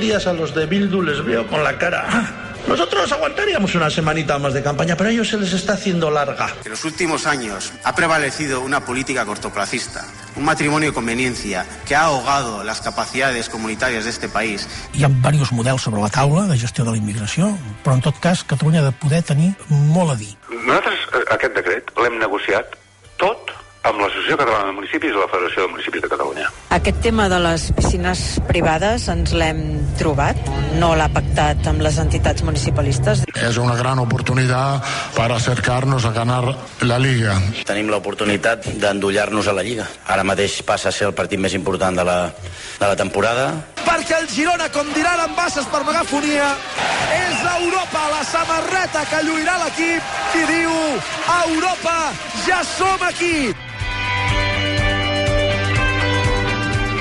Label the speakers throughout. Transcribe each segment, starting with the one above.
Speaker 1: días a los de Bildu les veo con la cara... Nosotros aguantaríamos una semanita más de campaña, pero a ellos se les está haciendo larga.
Speaker 2: En los últimos años ha prevalecido una política cortoplacista, un matrimonio de conveniencia que ha ahogado las capacidades comunitàries d'este país.
Speaker 3: Hi ha diversos models sobre la taula de gestió de la immigració, però en tot cas Catalunya ha de poder tenir molt a dir.
Speaker 4: Nosaltres aquest decret l'hem negociat tot amb l'Associació Catalana de Municipis i la Federació de Municipis de Catalunya.
Speaker 5: Aquest tema de les piscines privades ens l'hem trobat, no l'ha pactat amb les entitats municipalistes.
Speaker 6: Es una gran oportunidad para acercarnos a ganar la Liga.
Speaker 7: Tenim l'oportunitat d'endollar-nos a la Lliga. Ara mateix passa a ser el partit més important de la temporada.
Speaker 8: Perquè el Girona, com diran en Bases per megafonia, és Europa, la samarreta que lluirà l'equip i diu: Europa, ja som aquí!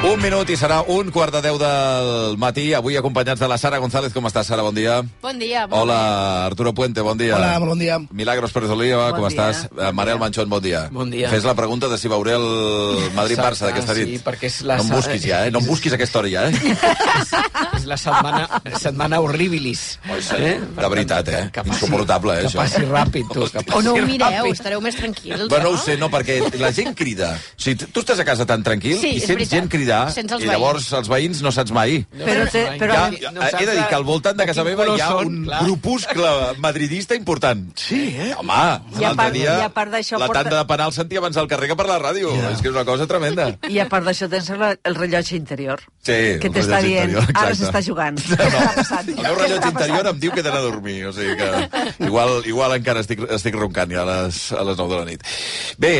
Speaker 9: Un minut i serà 1:15 del matí, avui acompanyats de la Sara González. Com estàs, Sara? Bon dia.
Speaker 10: Bon dia.
Speaker 9: Hola, Arturo Puente, bon dia.
Speaker 3: Hola, bon dia.
Speaker 9: Milagros Pérez Oliva, com estàs? Manel Manchón, bon dia.
Speaker 10: Bon dia.
Speaker 9: Fes la pregunta de si veuré el Madrid-Barça d'aquesta nit.
Speaker 10: Sí, perquè és la...
Speaker 9: No em busquis ja, no em busquis aquesta hora ja,
Speaker 10: És la setmana horribilis.
Speaker 9: De veritat, insuportable,
Speaker 10: això. Que passi ràpid, tu.
Speaker 11: O no ho mireu, estareu més tranquils.
Speaker 9: Bueno, no ho sé, no, perquè la gent crida. O sigui, tu estàs a casa tan tranquil i sents gent cridar i llavors els veïns no saps mai.
Speaker 5: Però
Speaker 9: he de dir que al voltant de casa meva hi ha un grupuscle madridista important.
Speaker 3: Sí,
Speaker 9: Home, l'altre dia la tanda de penal sentia abans al carrer que per la ràdio. És que és una cosa tremenda.
Speaker 5: I a part d'això tens el rellotge interior.
Speaker 9: Sí,
Speaker 5: que t'està dient, ara s'està jugant.
Speaker 9: El meu rellotge interior em diu que he d'anar a dormir. O sigui que igual encara estic roncant ja a les 9 de la nit. Bé,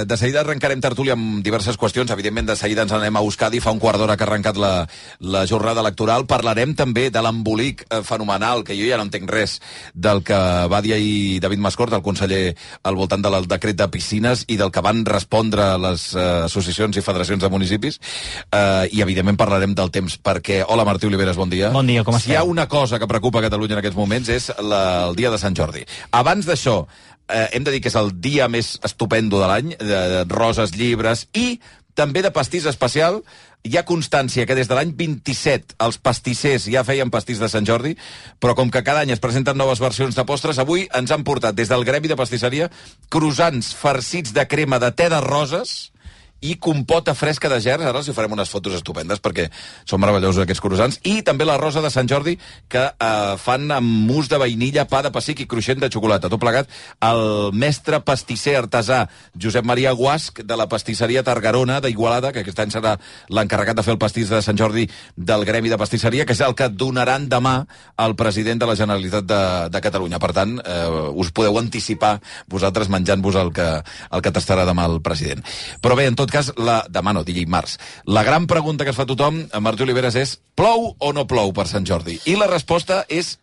Speaker 9: de seguida arrencarem tertúlia amb diverses qüestions. Evidentment, de seguida ens anem a Euskadi. Fa un quart d'hora que ha arrencat la jornada electoral. Parlarem també de l'embolic fenomenal, que jo ja no entenc res, del que va dir ahir David Mascort, el conseller, al voltant del decret de piscines i del que van respondre les associacions i federacions de municipis. I, evidentment, parlarem del temps, perquè... Hola, Martí Oliveres, bon dia.
Speaker 12: Bon dia, com esteu?
Speaker 9: Si hi ha una cosa que preocupa a Catalunya en aquests moments és el dia de Sant Jordi. Abans d'això, hem de dir que és el dia més estupendo de l'any, de roses, llibres i també de pastís especial. Hi ha constància que des de l'any 27 els pastissers ja feien pastís de Sant Jordi, però com que cada any es presenten noves versions de postres, avui ens han portat des del Gremi de Pastisseria croissants farcits de crema de te de roses i compota fresca de gerds. Ara els hi farem unes fotos estupendes perquè són meravellosos aquests croissants. I també la rosa de Sant Jordi que fan amb mousse de vainilla, pa de pessic i cruixent de xocolata. Tot plegat el mestre pastisser artesà Josep Maria Guasch de la pastisseria Targarona d'Igualada, que aquest any serà l'encarregat de fer el pastís de Sant Jordi del Gremi de Pastisseria, que és el que donaran demà al president de la Generalitat de Catalunya. Per tant, us podeu anticipar vosaltres menjant-vos el que tastarà demà el president. Però bé, en tot cas, demà no, dimarts. La gran pregunta que es fa tothom, Martí Oliveres, és: plou o no plou per Sant Jordi? I la resposta és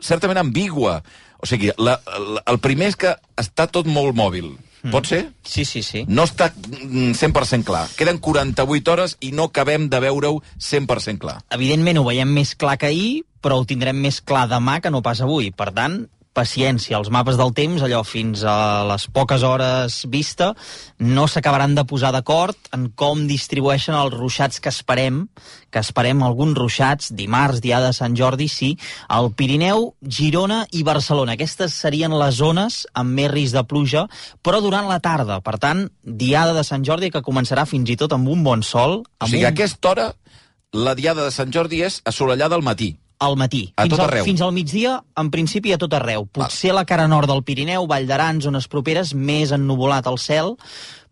Speaker 9: certament ambigua. O sigui, el primer és que està tot molt mòbil. Pot ser?
Speaker 12: Sí.
Speaker 9: No està 100% clar. Queden 48 hores i no acabem de veure-ho 100% clar.
Speaker 12: Evidentment ho veiem més clar que ahir, però ho tindrem més clar demà que no pas avui. Per tant, paciència. Els mapes del temps, allò fins a les poques hores vista, no s'acabaran de posar d'acord en com distribueixen els ruixats que esperem alguns ruixats dimarts, dia de Sant Jordi, sí, al Pirineu, Girona i Barcelona. Aquestes serien les zones amb més risc de pluja, però durant la tarda. Per tant, diada de Sant Jordi que començarà fins i tot amb un bon sol.
Speaker 9: O sigui, a aquesta hora, la diada de Sant Jordi és assolellada al matí.
Speaker 12: Al matí. Fins al migdia, en principi, a tot arreu. Potser la cara nord del Pirineu, Vall d'Aran, zones properes, més ennuvolat el cel,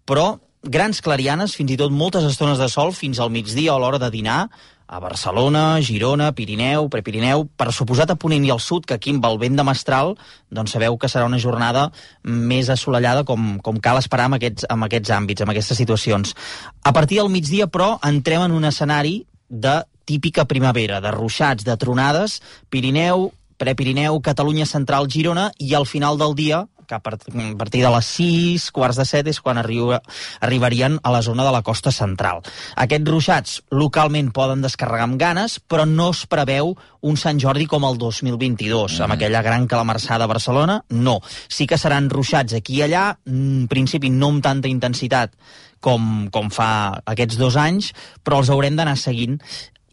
Speaker 12: però grans clarianes, fins i tot moltes estones de sol fins al migdia o a l'hora de dinar, a Barcelona, Girona, Pirineu, Prepirineu, per suposat a Ponent i al sud, que aquí amb el vent de mestral, doncs sabeu que serà una jornada més assolellada com cal esperar amb aquests àmbits, amb aquestes situacions. A partir del migdia, però, entrem en un escenari de típica primavera, de ruixats, de tronades, Pirineu, Prepirineu, Catalunya Central, Girona, i al final del dia, que a partir de les 6, quarts de 7, és quan arribarien a la zona de la costa central. Aquests ruixats localment poden descarregar amb ganes, però no es preveu un Sant Jordi com el 2022, amb aquella gran calamarsada a Barcelona, no. Sí que seran ruixats aquí i allà, en principi no amb tanta intensitat com fa aquests 2 anys, però els haurem d'anar seguint.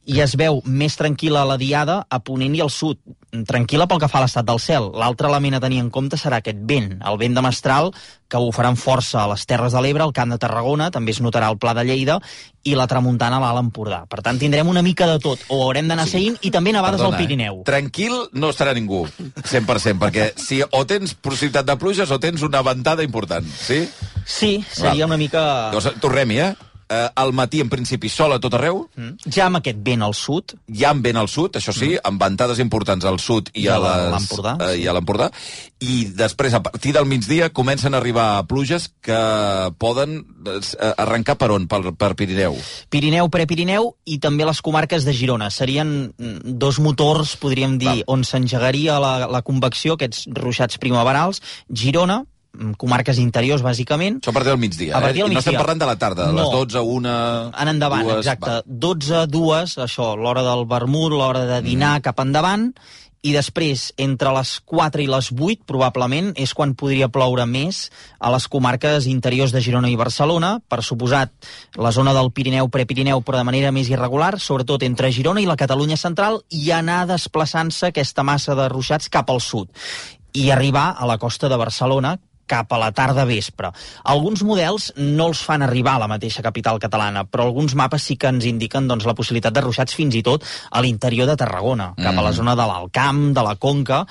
Speaker 12: i es veu més tranquil·la la diada a Ponent i al sud. Tranquil·la pel que fa a l'estat del cel. L'altre element a tenir en compte serà aquest vent, el vent de mestral, que bufarà amb força a les Terres de l'Ebre, al Camp de Tarragona, també es notarà al Pla de Lleida, i la tramuntana a l'Alt Empordà. Per tant, tindrem una mica de tot, o haurem d'anar seguint, i també nevades al Pirineu.
Speaker 9: Tranquil no estarà ningú, 100%, perquè si o tens possibilitat de pluges o tens una ventada important, sí?
Speaker 12: Sí, seria una mica...
Speaker 9: Tornem-hi, al matí, en principi, sol a tot arreu.
Speaker 12: Ja amb aquest vent al sud.
Speaker 9: Ja amb vent al sud, això sí, amb ventades importants al sud i a l'Empordà. I després, a partir del migdia, comencen a arribar pluges que poden arrencar per on? Per Pirineu.
Speaker 12: Pirineu, Prepirineu i també les comarques de Girona. Serien dos motors, podríem dir, on s'engegaria la convecció, aquests ruixats primaverals. Girona, comarques interiors, bàsicament.
Speaker 9: Això a partir del migdia, I no estem parlant de la tarda, de les 12, 1...
Speaker 12: En endavant, 2, exacte. 12, 2, això, l'hora del vermut, l'hora de dinar cap endavant, i després, entre les 4 i les 8, probablement, és quan podria ploure més a les comarques interiors de Girona i Barcelona, per suposat la zona del Pirineu, Prepirineu, però de manera més irregular, sobretot entre Girona i la Catalunya central, i anar desplaçant-se aquesta massa de ruixats cap al sud, i arribar a la costa de Barcelona, cap a la tarda vespre. Alguns models no els fan arribar a la mateixa capital catalana, però alguns mapes sí que ens indiquen la possibilitat de ruixats fins i tot a l'interior de Tarragona, cap a la zona de l'Alt Camp, de la Conca.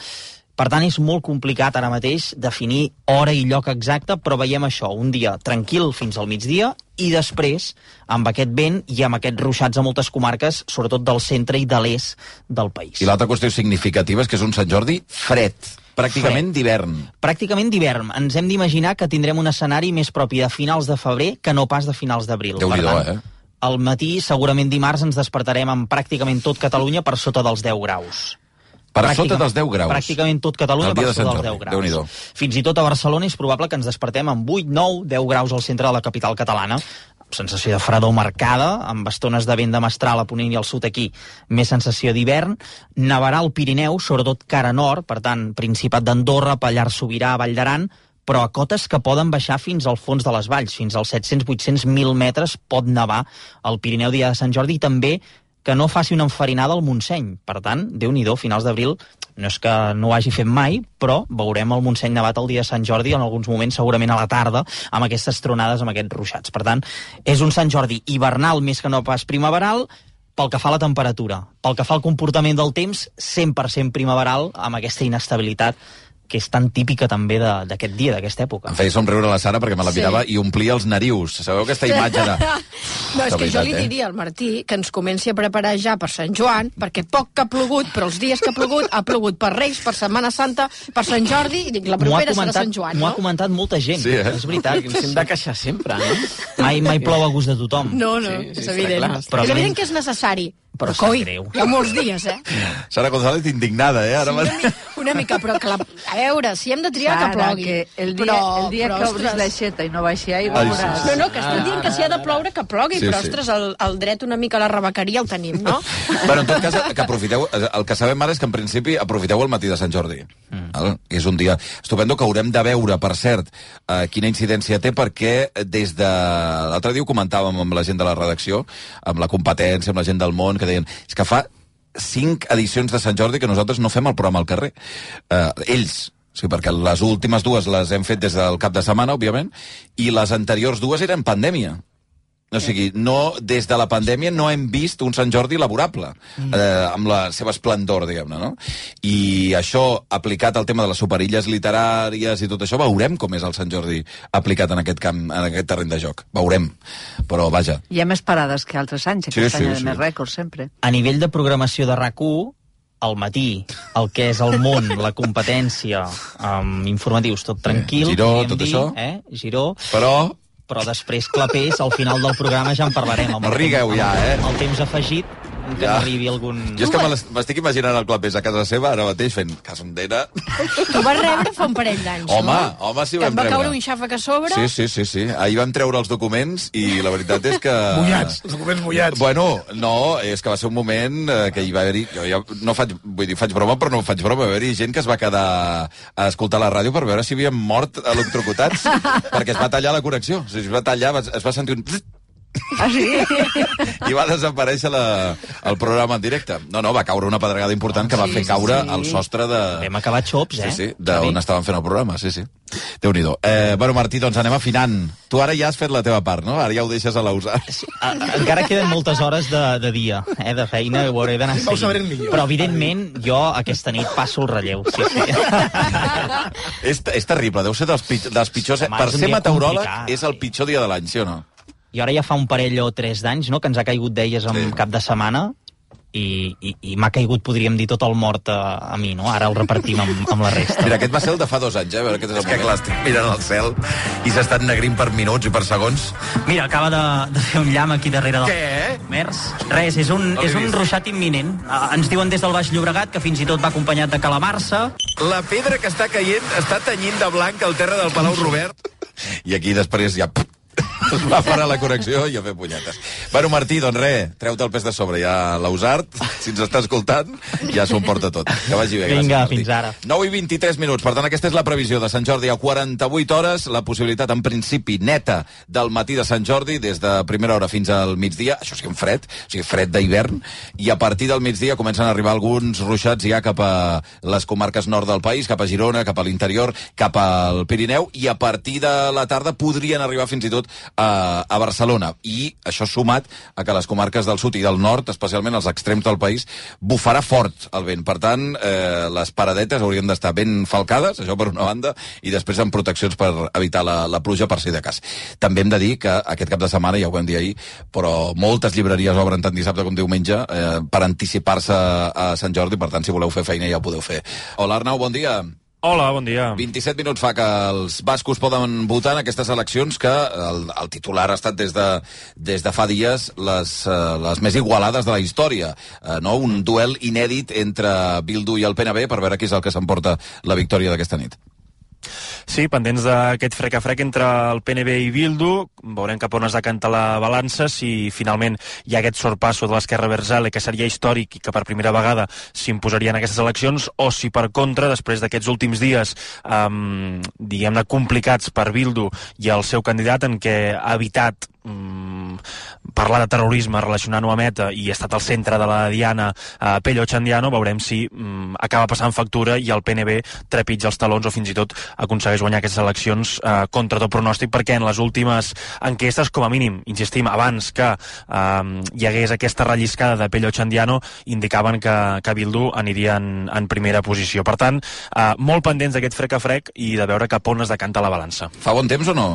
Speaker 12: Per tant, és molt complicat ara mateix definir hora i lloc exacte, però veiem això, un dia tranquil fins al migdia i després, amb aquest vent i amb aquests ruixats a moltes comarques, sobretot del centre i de l'est del país.
Speaker 9: I l'altra qüestió significativa és que és un Sant Jordi fred. Pràcticament d'hivern.
Speaker 12: Pràcticament d'hivern. Ens hem d'imaginar que tindrem un escenari més propi de finals de febrer que no pas de finals d'abril.
Speaker 9: Déu-n'hi-do,
Speaker 12: Al matí, segurament dimarts, ens despertarem amb pràcticament tot Catalunya per sota dels 10 graus.
Speaker 9: Per sota dels 10 graus?
Speaker 12: Pràcticament tot Catalunya per sota dels 10 graus. Fins i tot a Barcelona és probable que ens despertem amb 8, 9, 10 graus al centre de la capital catalana. Sensació de fredor marcada, amb estones de vent de mestral a Ponent i al sud aquí, més sensació d'hivern. Nevarà al Pirineu, sobretot cara nord, per tant, Principat d'Andorra, Pallars Sobirà, Vall d'Aran, però a cotes que poden baixar fins al fons de les valls, fins als 700, 800, 1.000 metres pot nevar al Pirineu dia de Sant Jordi, i també que no faci una enfarinada al Montseny. Per tant, Déu-n'hi-do, finals d'abril, no és que no ho hagi fet mai, però veurem el Montseny nevat el dia de Sant Jordi, en alguns moments, segurament a la tarda, amb aquestes tronades, amb aquests ruixats. Per tant, és un Sant Jordi hivernal més que no pas primaveral, pel que fa a la temperatura. Pel que fa al comportament del temps, 100% primaveral, amb aquesta inestabilitat que és tan típica també d'aquest dia, d'aquesta època.
Speaker 9: Em feia somriure la Sara perquè me la mirava i omplia els narius. Sabeu aquesta imatge de...
Speaker 11: No, és que jo li diria al Martí que ens comenci a preparar ja per Sant Joan, perquè poc que ha plogut, però els dies que ha plogut per Reis, per Setmana Santa, per Sant Jordi, i dic, la propera serà Sant Joan, no?
Speaker 12: M'ho ha comentat molta gent,
Speaker 9: sí,
Speaker 12: és veritat.
Speaker 10: Ens hem de queixar sempre, no?
Speaker 12: Mai plou a gust de tothom.
Speaker 11: No, és evident. És evident que és necessari. Però coi, hi ha molts dies,
Speaker 9: Sara González indignada, ara
Speaker 11: sí, una mica, però que a veure, si hem de triar, Sara, que plogui.
Speaker 13: Que el dia que obris l'aixeta i no baixi aigua...
Speaker 11: No, que estem dient que si ha de ploure, que plogui, però, ostres, el dret una mica a la rebequeria el tenim, no?
Speaker 9: Bueno, en tot cas, que aprofiteu... El que sabem ara és que, en principi, aprofiteu el matí de Sant Jordi. És un dia estupendo que haurem de veure, per cert, quina incidència té, perquè des de... L'altre dia ho comentàvem amb la gent de la redacció, amb la competència, amb la gent del món, que deien, és que fa 5 edicions de Sant Jordi que nosaltres no fem el programa al carrer. Ells, sí, perquè les últimes 2 les hem fet des del cap de setmana, òbviament, i les anteriors 2 eren pandèmia. O sigui, des de la pandèmia no hem vist un Sant Jordi laborable, amb la seva esplendor, diguem-ne, no? I això, aplicat al tema de les superilles literàries i tot això, veurem com és el Sant Jordi aplicat en aquest camp, en aquest terreny de joc. Veurem, però vaja.
Speaker 13: Hi ha més parades que altres anys, aquest any hi ha més rècords, sempre.
Speaker 12: A nivell de programació de RAC1, al matí, el que és el món, la competència, informatius, tot tranquil.
Speaker 9: Giró, tot això.
Speaker 12: Giró. Però després, clapés, al final del programa ja en parlarem.
Speaker 9: No rigueu ja,
Speaker 12: El temps afegit, que n'arribi algun...
Speaker 9: Jo és que m'estic imaginant el clapés a casa seva ara mateix fent casondera.
Speaker 11: Tu vas rebre fa un parell d'anys,
Speaker 9: no? Home, sí ho vam rebre.
Speaker 11: Que em va caure un xàfec a sobre.
Speaker 9: Sí. Ahir vam treure els documents i la veritat és que...
Speaker 3: Mullats, els documents mullats.
Speaker 9: Bueno, no, és que va ser un moment que hi va haver-hi... Jo ja no faig broma, però no faig broma. Va haver-hi gent que es va quedar a escoltar la ràdio per veure si havien mort electrocutats, perquè es va tallar la connexió. O sigui, es va tallar, es va sentir un...
Speaker 13: Ah, sí?
Speaker 9: I va desaparèixer el programa en directe. No, va caure una pedregada important que va fer caure el sostre de...
Speaker 12: Vam acabar xops,
Speaker 9: Sí, d'on estaven fent el programa, sí. Déu-n'hi-do. Bueno, Martí, doncs anem afinant. Tu ara ja has fet la teva part, no? Ara ja ho deixes a l'usar.
Speaker 12: Sí, encara queden moltes hores de dia, de feina, ho hauré d'anar seguint. Però, evidentment, jo aquesta nit passo el relleu, sí.
Speaker 9: És terrible, deu ser dels pitjors... Per ser meteoròleg és el pitjor dia de l'any, sí o no?
Speaker 12: I ara ja fa un parell o 3 d'anys, no?, que ens ha caigut d'elles en cap de setmana, i m'ha caigut, podríem dir, tot el mort a mi, no? Ara el repartim amb la resta.
Speaker 9: Mira, aquest va ser el de fa 2 anys, A veure, aquest és que clar, estic mirant al cel i s'estan negrint per minuts i per segons.
Speaker 12: Mira, acaba de fer un llamp aquí darrere del...
Speaker 9: Què?
Speaker 12: Mers. Res, és un ruixat imminent. Ens diuen des del Baix Llobregat que fins i tot va acompanyat de calamarsa.
Speaker 9: La pedra que està caient està tenyint de blanc el terra del Palau Robert. I aquí després ja... es va parar la connexió i a fer punyetes. Bueno, Martí, doncs res, treu-te el pes de sobre. Ja l'ha usat, si ens està escoltant, ja s'ho emporta tot. Que vagi bé, gràcies,
Speaker 12: Vinga,
Speaker 9: Martí.
Speaker 12: fins ara.
Speaker 9: 9:23 minuts. Per tant, aquesta és la previsió de Sant Jordi a 48 hores. La possibilitat, en principi, neta del matí de Sant Jordi, des de primera hora fins al migdia. Això sí, fred, o sigui, fred d'hivern. I a partir del migdia comencen a arribar alguns ruixats ja cap a les comarques nord del país, cap a Girona, cap a l'interior, cap al Pirineu, i a partir de la tarda podrien arribar fins i tot a Barcelona, i això sumat a que les comarques del sud i del nord, especialment els extrems del país, bufarà fort el vent. Per tant, les paradetes haurien d'estar ben falcades, això per una banda, i després amb proteccions per evitar la pluja per si de cas. També hem de dir que aquest cap de setmana, ja ho vam dir ahir, però moltes llibreries obren tant dissabte com diumenge per anticipar-se a Sant Jordi, per tant, si voleu fer feina ja ho podeu fer. Hola, Arnau, bon dia.
Speaker 14: Hola, bon dia.
Speaker 9: 27 minuts fa que els bascos poden votar en aquestes eleccions que el titular ha estat des de fa dies les més igualades de la història. No? Un duel inèdit entre Bildu i el PNB per veure qui és el que s'emporta la victòria d'aquesta nit.
Speaker 14: Sí, pendents d'aquest frec a frec entre el PNB i Bildu, veurem cap on es decanta la balança, si finalment hi ha aquest sorpasso de l'esquerra Abertzale, que seria històric i que per primera vegada s'imposaria en aquestes eleccions, o si per contra, després d'aquests últims dies diguem-ne complicats per Bildu i el seu candidat, en què ha evitat parlar de terrorisme relacionant-ho amb ETA i ha estat al centre de la diana Pello Otxandiano, veurem si acaba passant factura i el PNB trepitja els talons o fins i tot aconsegueix guanyar aquestes eleccions contra tot pronòstic, perquè en les últimes enquestes, com a mínim, insistim, abans que hi hagués aquesta relliscada de Pello Otxandiano, indicaven que Bildu aniria en primera posició. Per tant, molt pendents d'aquest frec a frec i de veure cap on es decanta la balança.
Speaker 9: Fa bon temps o no?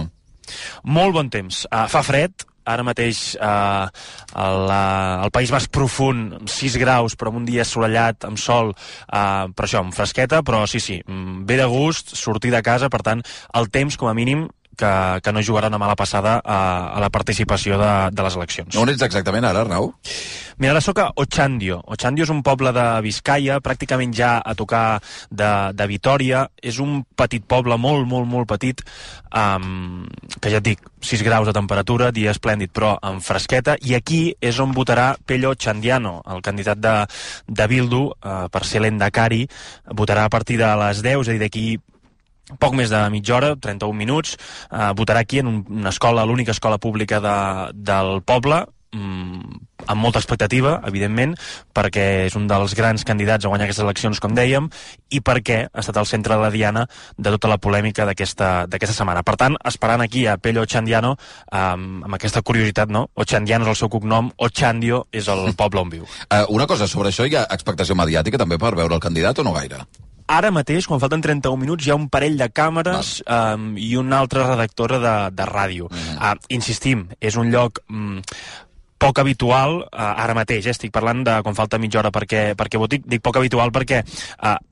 Speaker 14: Molt bon temps. Fa fred, ara mateix al País Basc profund 6 graus, però amb un dia assolellat, amb sol, per això, amb fresqueta, però sí, ve de gust sortir de casa, per tant, el temps, com a mínim, que no jugarà una mala passada a la participació de les eleccions.
Speaker 9: On ets exactament ara, Arnau?
Speaker 14: Mira, ara soc a Otxandio. Otxandio és un poble de Biscaia, pràcticament ja a tocar de Vitòria. És un petit poble, molt petit, que ja et dic, 6 graus de temperatura, dia esplèndid, però amb fresqueta, i aquí és on votarà Pello Otxandiano, el candidat de Bildu, per ser l'endacari. Votarà a partir de les 10, és a dir, d'aquí poc més de mitja hora, 31 minuts, votarà aquí en una escola, l'única escola pública del poble, amb molta expectativa, evidentment, perquè és un dels grans candidats a guanyar aquestes eleccions, com dèiem, i perquè ha estat al centre de la diana de tota la polèmica d'aquesta setmana. Per tant, esperant aquí a Pello Otxandiano, amb aquesta curiositat, no? Otxandiano és el seu cognom, Otxandio és el poble on viu.
Speaker 9: Una cosa, sobre això hi ha expectació mediàtica també per veure el candidat o no gaire?
Speaker 14: Ara mateix, quan falten 31 minuts, hi ha un parell de càmeres i una altra redactora de ràdio. Insistim, és un lloc poc habitual, ara mateix, estic parlant de quan falta mitja hora perquè voti, dic poc habitual perquè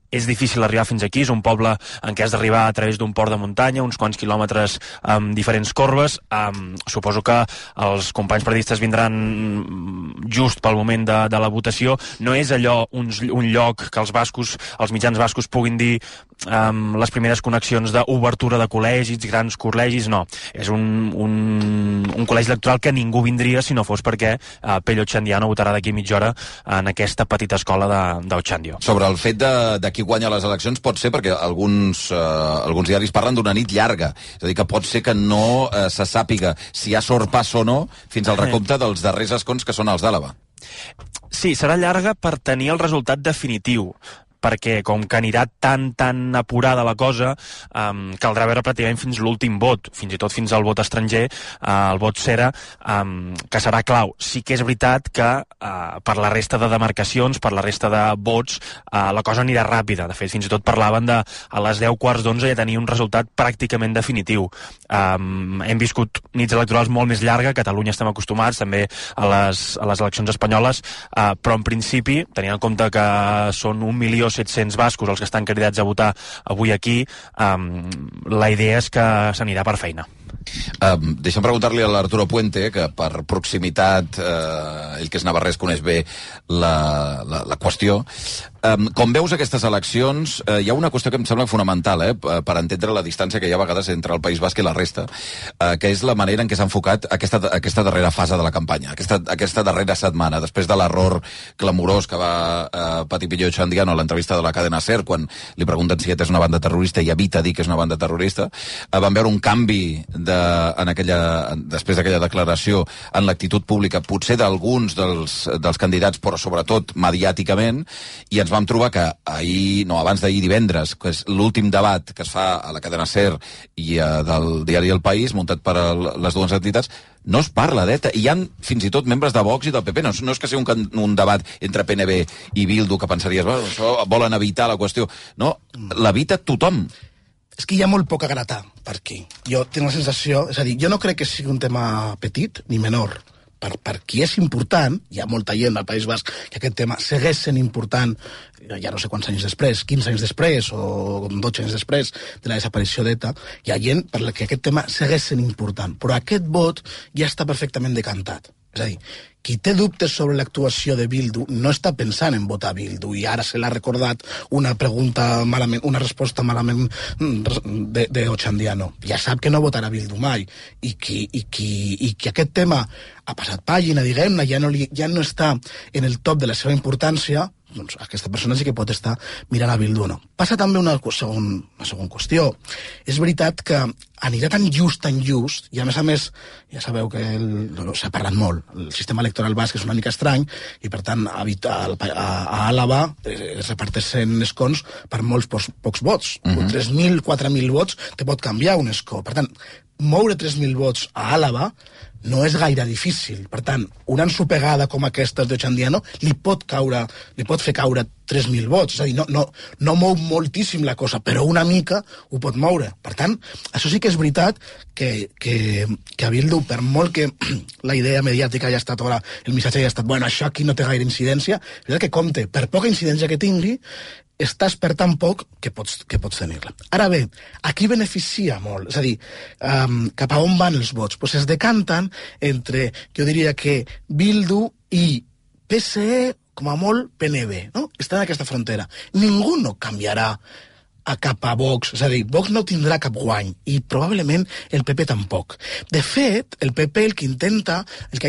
Speaker 14: és difícil arribar fins aquí, és un poble en què has d'arribar a través d'un port de muntanya, uns quants quilòmetres amb diferents corbes. Suposo que els companys periodistes vindran just pel moment de la votació. No és allò un lloc que els mitjans bascos puguin dir les primeres connexions d'obertura de col·legis, grans col·legis, no. És un col·legi electoral que ningú vindria si no fos perquè Pello Otxandiano votarà d'aquí mitja hora en aquesta petita escola d'Otxandio.
Speaker 9: Sobre el fet de qui guanya les eleccions pot ser, perquè alguns diaris parlen d'una nit llarga, és a dir, que pot ser que no se sàpiga si hi ha sorpàs o no fins al recompte dels darrers escons, que són els d'Àlaba.
Speaker 14: Sí, serà llarga per tenir el resultat definitiu, perquè com que anirà tan apurada la cosa, caldrà veure pràcticament fins l'últim vot, fins i tot fins al vot estranger, el vot cera, que serà clau. Sí que és veritat que per la resta de demarcacions, per la resta de vots, la cosa anirà ràpida. De fet, fins i tot parlaven de a les 10:15 ja tenir un resultat pràcticament definitiu. Hem viscut nits electorals molt més llarga, a Catalunya estem acostumats també a les eleccions espanyoles, però en principi, tenint en compte que són 1.700.000 bascos els que estan cridats a votar avui aquí, la idea és que s'anirà per feina.
Speaker 9: Deixa'm preguntar-li a l'Arturo Puente, que per proximitat, ell que és navarrès coneix bé la qüestió. Com veus aquestes eleccions, hi ha una qüestió que em sembla fonamental, per entendre la distància que hi ha a vegades entre el País Basc i la resta, que és la manera en què s'ha enfocat aquesta darrera fase de la campanya, aquesta darrera setmana, després de l'error clamorós que va patir Pillo Ochandiano a l'entrevista de la cadena SER, quan li pregunten si és una banda terrorista i evita dir que és una banda terrorista. Vam veure un canvi després d'aquella declaració en l'actitud pública, potser d'alguns dels candidats, però sobretot mediàticament, i ens vam trobar que abans d'ahir divendres, que és l'últim debat que es fa a la cadena SER i del diari El País, muntat per les dues entitats, no es parla d'ETA. Hi ha fins i tot membres de Vox i del PP. No és que sigui un debat entre PNB i Bildu que pensaries, això volen evitar la qüestió. No, l'evita tothom.
Speaker 15: És que hi ha molt poc a gratar per aquí. Jo tinc la sensació... És a dir, jo no crec que sigui un tema petit ni menor. Per qui és important, hi ha molta gent al País Basc que aquest tema segueix sent important, ja no sé quants anys després, 15 anys després o 12 anys després de la desaparició d'ETA, hi ha gent per la que aquest tema segueix sent important, però aquest vot ja està perfectament decantat. És a dir, qui té dubtes sobre l'actuació de Bildu no està pensant en votar Bildu i ara se l'ha recordat una resposta malament de Ochandiano. Ja sap que no votarà Bildu mai i que aquest tema ha passat pàgina, diguem-ne, ja no està en el top de la seva importància, doncs aquesta persona sí que pot estar mirant a Bildu o no. Passa també una segona qüestió. És veritat que anirà tan just, i a més, ja sabeu que s'ha parlat molt. El sistema electoral basc és una mica estrany i, per tant, a Àlaba es reparteixen escons per molts pocs vots. 3.000, 4.000 vots te pot canviar un escó. Per tant, moure 3.000 vots a Àlaba no és gaire difícil. Per tant, una ensopegada com aquesta d'Ochandiano li pot fer caure 3.000 vots. És a dir, no mou moltíssim la cosa, però una mica ho pot moure. Per tant, això sí que és veritat que a Bildu, per molt que la idea mediàtica hagi estat, el missatge hagi estat, bueno, això aquí no té gaire incidència, és veritat que compte, per poca incidència que tingui, estàs per tan poc que pots tenir-la. Ara bé, aquí beneficia molt, és a dir, cap a on van els vots? Pues es decanten entre, jo diria que Bildu i PSE, com a molt PNB, no? Estan en aquesta frontera. Ningú no canviarà a cap a Vox, és a dir, Vox no tindrà cap guany i probablement el PP tampoc. De fet, el PP el que ha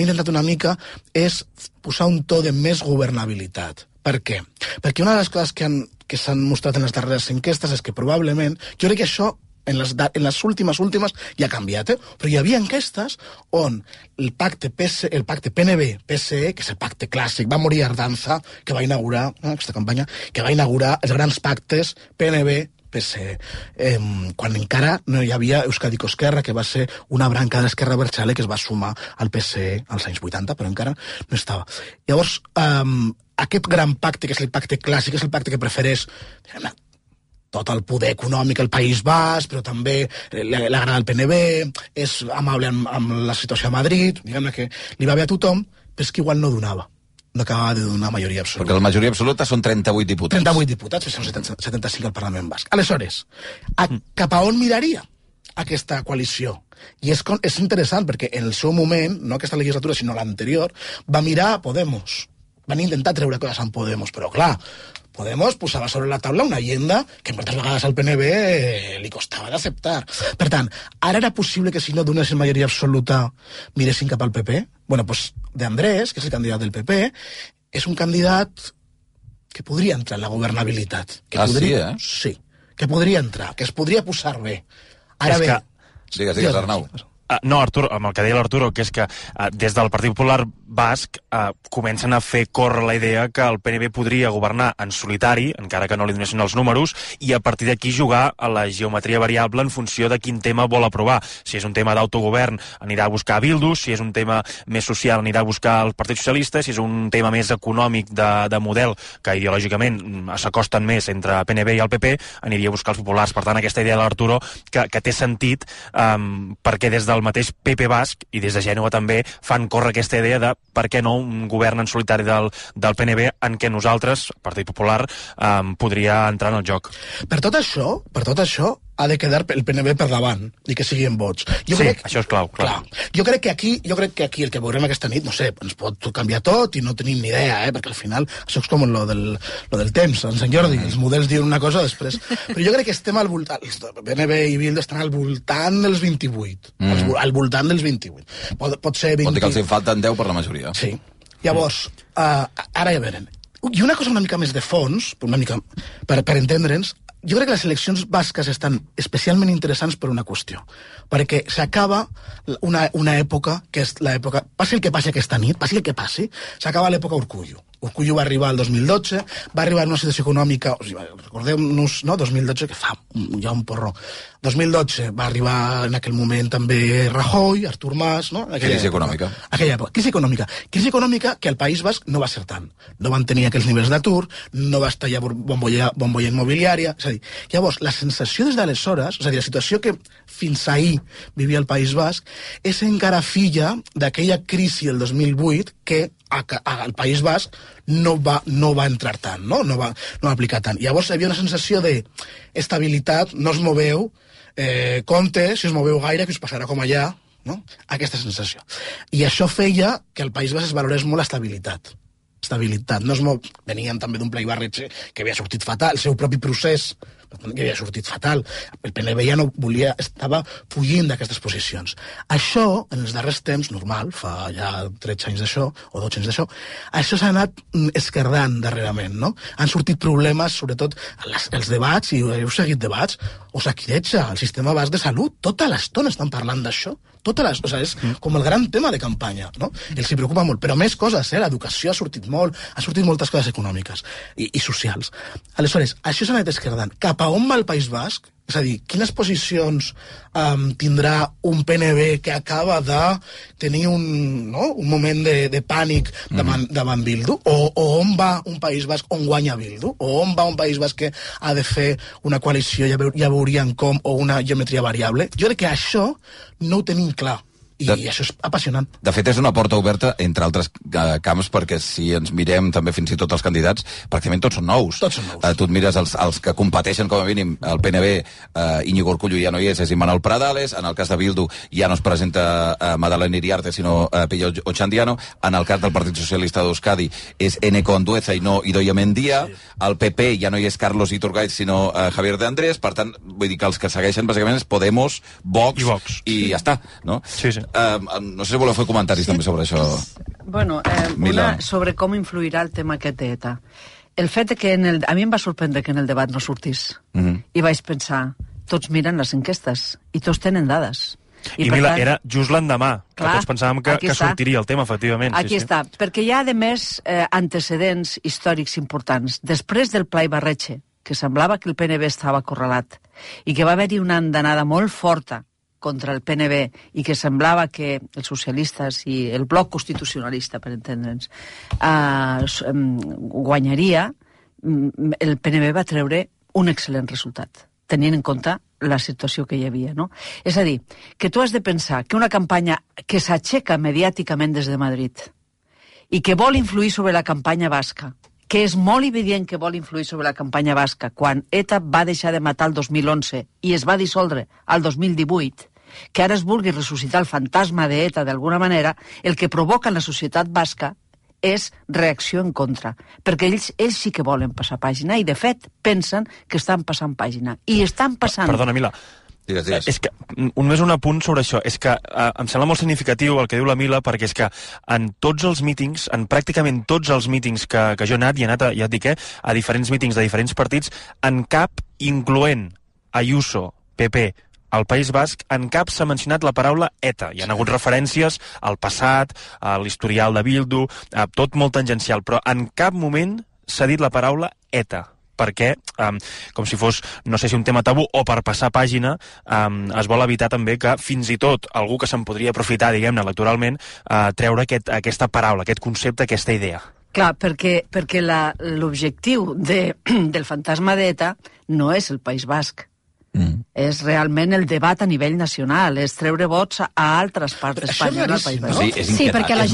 Speaker 15: intentat una mica és posar un to de més governabilitat. Per què? Perquè una de les coses que s'han mostrat en les darreres enquestes és que probablement, jo crec que això en les últimes ja ha canviat, però hi havia enquestes on el pacte PNB-PSE, que és el pacte clàssic, va morir Ardanza, que va inaugurar aquesta campanya, que va inaugurar els grans pactes PNB-PSE, quan encara no hi havia Euskadi Esquerra, que va ser una branca de l'Esquerra Abertzale que es va sumar al PSE als anys 80, però encara no estava. Llavors, aquest gran pacte, que és el pacte clàssic, és el pacte que prefereix tot el poder econòmic al País Basc, però també l'agrada el PNB, és amable amb la situació a Madrid, diguem-ne que li va bé a tothom, però és que igual no donava. No acabava de donar majoria absoluta.
Speaker 9: Perquè la majoria absoluta són 38 diputats.
Speaker 15: 38 diputats, que són 75 al Parlament Basc. Aleshores, cap a on miraria aquesta coalició? I és interessant, perquè en el seu moment, no aquesta legislatura, sinó l'anterior, va mirar a Podemos. Van intentar treure coses amb Podemos, però clar, Podemos posava sobre la taula una agenda que moltes vegades al PNB li costava d'acceptar. Per tant, ara era possible que si no donessin majoria absoluta miressin cap al PP? Bueno, doncs De Andrés, que és el candidat del PP, és un candidat que podria entrar en la governabilitat.
Speaker 9: Sí,
Speaker 15: que podria entrar, que es podria posar bé. Ara bé...
Speaker 9: Digues, Arnau.
Speaker 14: No, Artur, amb el que deia l'Arturo, que és que des del Partit Popular Basc comencen a fer córrer la idea que el PNB podria governar en solitari, encara que no li donessin els números, i a partir d'aquí jugar a la geometria variable en funció de quin tema vol aprovar. Si és un tema d'autogovern, anirà a buscar Bildu, si és un tema més social, anirà a buscar el Partit Socialista, si és un tema més econòmic de model, que ideològicament s'acosten més entre PNB i el PP, aniria a buscar els populars. Per tant, aquesta idea de l'Arturo, que té sentit, perquè des del mateix PP Basc i des de Gènova també fan córrer aquesta idea de per què no un govern en solitari del PNB en què nosaltres, Partit Popular, podria entrar en el joc.
Speaker 15: Per tot això ha de quedar el PNB per davant i que siguin vots.
Speaker 14: Això és clau.
Speaker 15: Jo crec que aquí el que veurem aquesta nit, no sé, ens pot canviar tot i no tenim ni idea, perquè al final això és com lo del temps, en Sant Jordi, els models diuen una cosa després. Però jo crec que estem al voltant, PNB i Bildu estan al voltant dels 28. Al voltant dels 28. Pot ser 20...
Speaker 9: Pot dir que els en falten 10 per la majoria.
Speaker 15: Sí. Llavors, ara ja veurem. I una cosa una mica més de fons, per entendre'ns, jo crec que les eleccions basques estan especialment interessants per una qüestió, perquè s'acaba una època, que és l'època... Passi el que passi aquesta nit, passi el que passi, s'acaba l'època Urkullu. Urkullu va arribar el 2012, va arribar en una situació econòmica, recordem-nos, no? 2012, que fa ja un porró. 2012 va arribar en aquell moment també Rajoy, Artur Mas, no?
Speaker 9: Crisi econòmica.
Speaker 15: Aquella època. Crisi econòmica que al País Basc no va ser tant. No van tenir aquells nivells d'atur, no va estar ja bombolla immobiliària, és a dir, llavors, la sensació des d'aleshores, és a dir, la situació que fins ahir vivia el País Basc, és encara filla d'aquella crisi del 2008 que al País Basc no va entrar tant, no va aplicar tant. Llavors hi havia una sensació d'estabilitat, no us moveu, compte, si us moveu gaire, que us passarà com allà, no? Aquesta sensació. I això feia que al País Basc es valorés molt l'estabilitat. Venien també d'un ple Ibarretxe que havia sortit fatal, el seu propi procés que havia sortit fatal. El PNB ja no volia, estava fugint d'aquestes posicions. Això, en els darrers temps, normal, fa ja 13 anys d'això, o 12 anys d'això, això s'ha anat esquerdant darrerament, no? Han sortit problemes, sobretot els debats, i heu seguit debats, Osakidetza, el sistema basc de salut, tota l'estona estan parlant d'això. És com el gran tema de campanya, no? Els hi preocupa molt, però més coses, l'educació ha sortit moltes coses econòmiques i socials. Aleshores, això s'ha anat esquerdant. Cap a on va el País Basc? És a dir, quines posicions tindrà un PNB que acaba de tenir un moment de pànic davant Bildu? O on va un País Basc on guanya Bildu? O on va un País Basc que ha de fer una coalició, ja veuríem com, o una geometria variable? Jo crec que això no ho tenim clar. I això és apassionant.
Speaker 9: De fet, és una porta oberta, entre altres camps, perquè si ens mirem també fins i tot els candidats, pràcticament tots són nous. Tu et mires els que competeixen, com a mínim, el PNB, Íñigo Urkullu ja no hi és Imanol Pradales, en el cas de Bildu ja no es presenta Madalena Iriarte, sinó Pello Ochandiano, en el cas del Partit Socialista d'Euskadi és Eneko Andueza i no Idoia Mendia, al PP ja no hi és Carlos Iturgaiz, sinó Javier de Andrés, per tant, vull dir que els que segueixen bàsicament és Podemos, Vox i ja està, no?
Speaker 14: Sí.
Speaker 9: No sé si voleu fer comentaris també sobre això.
Speaker 13: Bueno, sobre com influirà el tema aquest d'ETA. El fet que a mi em va sorprendre que en el debat no sortís. I vaig pensar, tots miren les enquestes i tots tenen dades.
Speaker 14: I Mila, era just l'endemà, que tots pensàvem que sortiria el tema, efectivament.
Speaker 13: Aquí està, perquè hi ha, a més, antecedents històrics importants. Després del Pla Ibarretxe, que semblava que el PNB estava acorralat i que va haver-hi una andanada molt forta contra el PNB i que semblava que els socialistes i el bloc constitucionalista, per entendre'ns, guanyaria, el PNB va treure un excel·lent resultat, tenint en compte la situació que hi havia, no? És a dir, que tu has de pensar que una campanya que s'aixeca mediàticament des de Madrid i que vol influir sobre la campanya basca, que és molt evident que vol influir sobre la campanya basca, quan ETA va deixar de matar el 2011 i es va dissoldre al 2018, que ara es vulgui ressuscitar el fantasma d'ETA d'alguna manera, el que provoca en la societat basca és reacció en contra, perquè ells sí que volen passar pàgina i, de fet, pensen que estan passant pàgina. I estan passant...
Speaker 14: Perdona, Mila,
Speaker 9: Digues.
Speaker 14: És que, només un apunt sobre això, és que em sembla molt significatiu el que diu la Mila, perquè és que en tots els mítings, en pràcticament tots els mítings que jo he anat, ja et dic, a diferents mítings de diferents partits, en cap, incloent Ayuso, PP, al País Basc, en cap s'ha mencionat la paraula ETA. Hi ha hagut referències al passat, a l'historial de Bildu, tot molt tangencial, però en cap moment s'ha dit la paraula ETA, perquè, com si fos, no sé si un tema tabú o per passar pàgina, es vol evitar també que fins i tot algú que se'n podria aprofitar, diguem-ne, electoralment, treure aquesta paraula, aquest concepte, aquesta idea.
Speaker 13: Clar, perquè l'objectiu del fantasma d'ETA no és el País Basc. És realment el debat a nivell nacional, és treure vots a altres parts d'Espanya, no al País Basc.
Speaker 11: Sí, perquè a les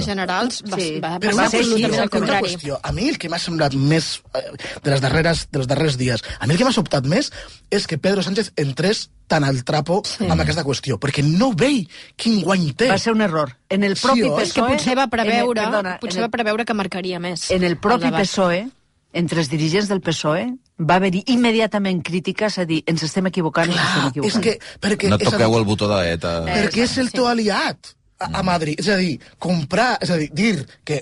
Speaker 11: generals va ser absolutament el contrari.
Speaker 15: A mi el que m'ha semblat més dels darrers dies, a mi el que m'ha sobtat més és que Pedro Sánchez entrés tan al trapo amb aquesta qüestió, perquè no vei quin guany té.
Speaker 13: Va ser un error. En el propi PSOE...
Speaker 11: És que potser va preveure que marcaria més.
Speaker 13: En el propi PSOE, entre els dirigents del PSOE, va haver-hi immediatament crítiques a dir ens estem equivocant,
Speaker 9: no toqueu el botó d'ETA.
Speaker 15: Perquè és el teu aliat a Madrid. És a dir, dir que,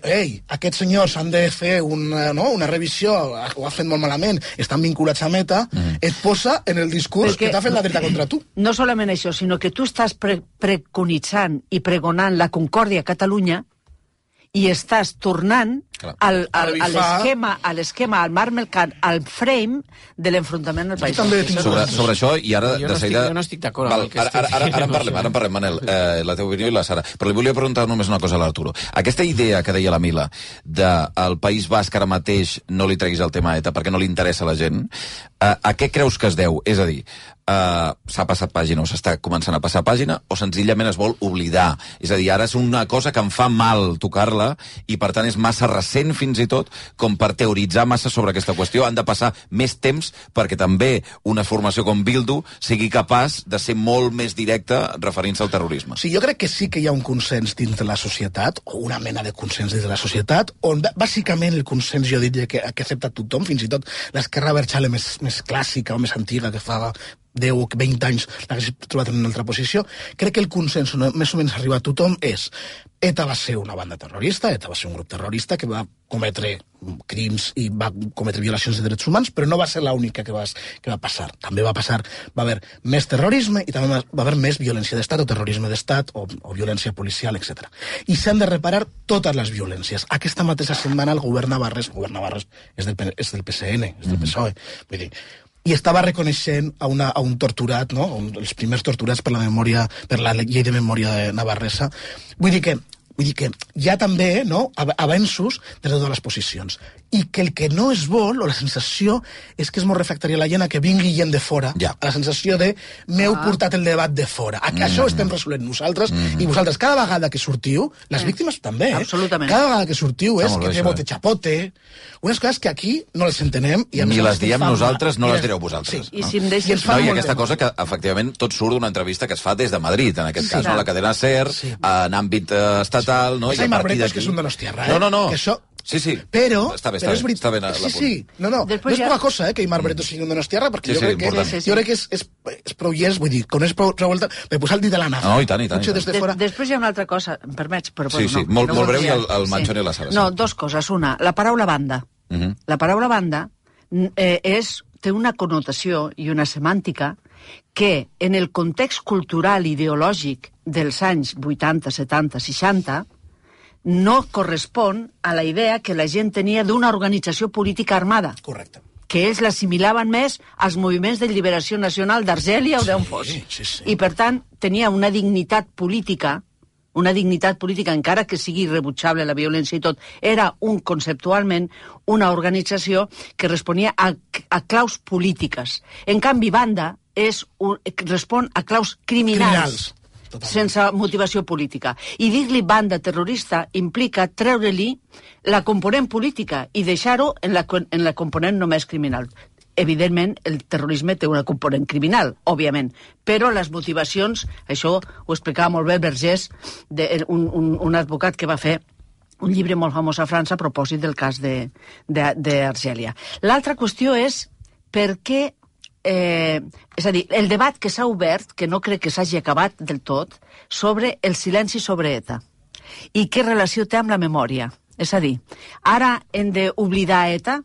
Speaker 15: aquests senyors han de fer una revisió, ho ha fet molt malament, estan vinculats a ETA, et posa en el discurs que t'ha fet la dreta contra tu.
Speaker 13: No solament això, sinó que tu estàs preconitzant i pregonant la concòrdia a Catalunya i estàs tornant a l'esquema, al marc mercat, al frame de l'enfrontament al País.
Speaker 9: Sobre això, i ara...
Speaker 10: Jo no estic d'acord amb el que estic
Speaker 9: dient. Ara en parlem, Manel, la teva opinió i la Sara. Però li volia preguntar només una cosa a l'Arturo. Aquesta idea que deia la Mila del País Basc ara mateix no li treguis el tema ETA perquè no li interessa a la gent, a què creus que es deu? És a dir, s'ha passat pàgina o s'està començant a passar pàgina o senzillament es vol oblidar? És a dir, ara és una cosa que em fa mal tocar-la i per tant és massa recent fins i tot com per teoritzar massa sobre aquesta qüestió. Han de passar més temps perquè també una formació com Bildu sigui capaç de ser molt més directa referint-se al terrorisme.
Speaker 15: Sí, jo crec que sí que hi ha un consens dins de la societat, o una mena de consens dins de la societat, on bàsicament el consens jo diria que accepta tothom, fins i tot l'esquerra abertzale més clàssica o més antiga que fa 10 o 20 anys l'hagués trobat en una altra posició. Crec que el consens més o menys arriba a tothom és ETA va ser una banda terrorista, ETA va ser un grup terrorista que va cometre crims i va cometre violacions de drets humans, però no va ser l'única que va passar. També va haver més terrorisme i també va haver més violència d'estat o terrorisme d'estat o violència policial, etc. I s'han de reparar totes les violències. Aquesta mateixa setmana el govern Navarrés és del PSN, és del PSOE, vull dir, i estava reconeixent a un torturat, no? Els primers torturats per la llei de memòria navarresa. Vull dir que hi ha també avenços de totes les posicions. I que el que no es vol, o la sensació, és que és molt refractària a la gent a que vingui gent de fora. A la sensació de m'heu portat el debat de fora. A que això ho estem resolent nosaltres, i vosaltres cada vegada que sortiu, les víctimes també,
Speaker 13: absolutament.
Speaker 15: Cada vegada que sortiu és que bote chapote, unes coses que aquí no les entenem.
Speaker 9: Ni les diem nosaltres, no les direu vosaltres.
Speaker 13: I si em deixes...
Speaker 9: I aquesta cosa que, efectivament, tot surt d'una entrevista que es fa des de Madrid, en aquest cas, la cadena SER, en àmbit estatal, no?
Speaker 15: Hay Marbetos que és un donostiarra,
Speaker 9: No.
Speaker 15: Que això...
Speaker 9: Sí.
Speaker 15: Però
Speaker 9: està bé l'apunt.
Speaker 15: Sí. No és poca cosa, que Aimar Barreto sigui un donostiarra, perquè jo crec que és prou llest, vull dir, quan és prou volta, per posar el dit a la nafra.
Speaker 9: No, i tant.
Speaker 13: Després hi ha una altra cosa, em permets?
Speaker 9: Sí, molt breu, i el Manchón i la Sara.
Speaker 13: No, dos coses. Una, la paraula banda. La paraula banda té una connotació i una semàntica que en el context cultural i ideològic dels anys 80, 70, 60 no correspon a la idea que la gent tenia d'una organització política armada.
Speaker 15: Correcte.
Speaker 13: Que ells l'assimilaven més als moviments de lliberació nacional d'Argèlia o d'on fos. I, per tant, tenia una dignitat política, encara que sigui irrebutjable la violència i tot, era conceptualment una organització que responia a claus polítiques. En canvi, banda respon a claus criminals. Sense motivació política. I dir-li banda terrorista implica treure-li la component política i deixar-ho en la component només criminal. Evidentment, el terrorisme té una component criminal, òbviament, però les motivacions, això ho explicava molt bé Vergés, un advocat que va fer un llibre molt famós a França a propòsit del cas d'Argèlia. L'altra qüestió és per què és a dir, el debat que s'ha obert, que no crec que s'hagi acabat del tot, sobre el silenci sobre ETA i què relació té amb la memòria. És a dir, ara hem d'oblidar ETA,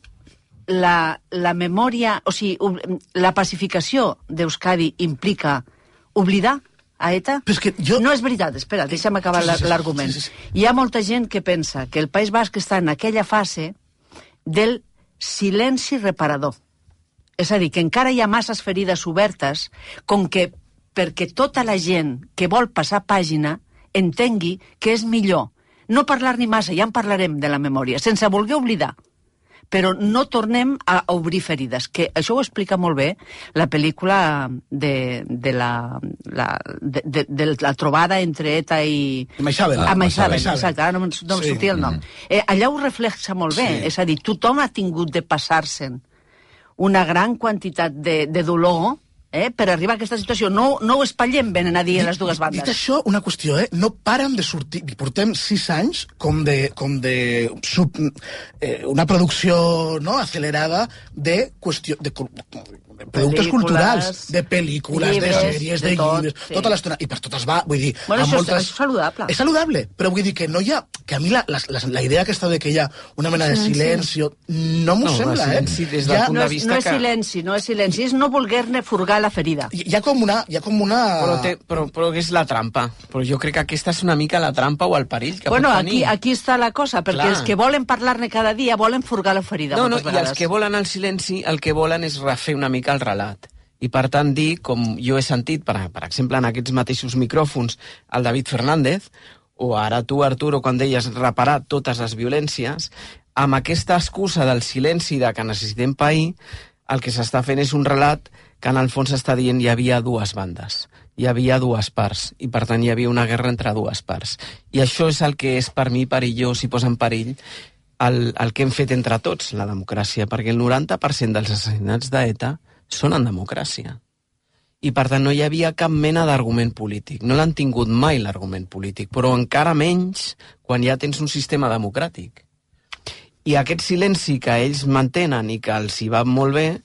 Speaker 13: la memòria, o sigui, la pacificació d'Euskadi implica oblidar a ETA? No és veritat, espera, deixa'm acabar l'argument. Hi ha molta gent que pensa que el País Basc està en aquella fase del silenci reparador. És a dir, que encara hi ha masses ferides obertes, com que perquè tota la gent que vol passar pàgina entengui que és millor no parlar ni massa, ja en parlarem de la memòria, sense voler oblidar, però no tornem a obrir ferides, que això ho explica molt bé la pel·lícula de la trobada entre ETA i...
Speaker 15: Maixabel.
Speaker 13: Exacte, ara no em sortia el nom. Allà ho reflexa molt bé, és a dir, tothom ha tingut de passar-se'n una gran quantitat de dolor per arribar a aquesta situació. No ho espatllem, venen a dir a les dues bandes.
Speaker 15: Dit això, una qüestió, no paren de sortir, i portem 6 anys com de una producció acelerada de qüestió de productes culturals, de pel·lícules, de sèries, de llibres, tota l'estona, i per totes va, vull dir...
Speaker 13: Bueno, això és saludable.
Speaker 15: És saludable, però vull dir que no hi ha... Que a mi la idea aquesta de que hi ha una mena de silenci, no m'ho sembla,
Speaker 13: No és silenci, no és silenci, és no voler-ne furgar la ferida.
Speaker 15: Hi ha com una...
Speaker 10: Però és la trampa. Però jo crec que aquesta és una mica la trampa o el perill que pot tenir.
Speaker 13: Aquí està la cosa, perquè els que volen parlar-ne cada dia volen furgar la ferida.
Speaker 10: No, i els que volen el silenci, el que volen és refer una mica el relat. I per tant dir, com jo he sentit, per exemple, en aquests mateixos micròfons, el David Fernández, o ara tu, Arturo, quan deies reparar totes les violències, amb aquesta excusa del silenci de que necessitem pair, el que s'està fent és un relat que en el fons s'està dient hi havia dues bandes, hi havia dues parts, i per tant hi havia una guerra entre dues parts. I això és el que és per mi perillós i posa en perill el que hem fet entre tots, la democràcia, perquè el 90% dels assassinats d'ETA són en democràcia. I per tant no hi havia cap mena d'argument polític. No l'han tingut mai l'argument polític, però encara menys quan ja tens un sistema democràtic. I aquest silenci que ells mantenen i que els hi va molt bé,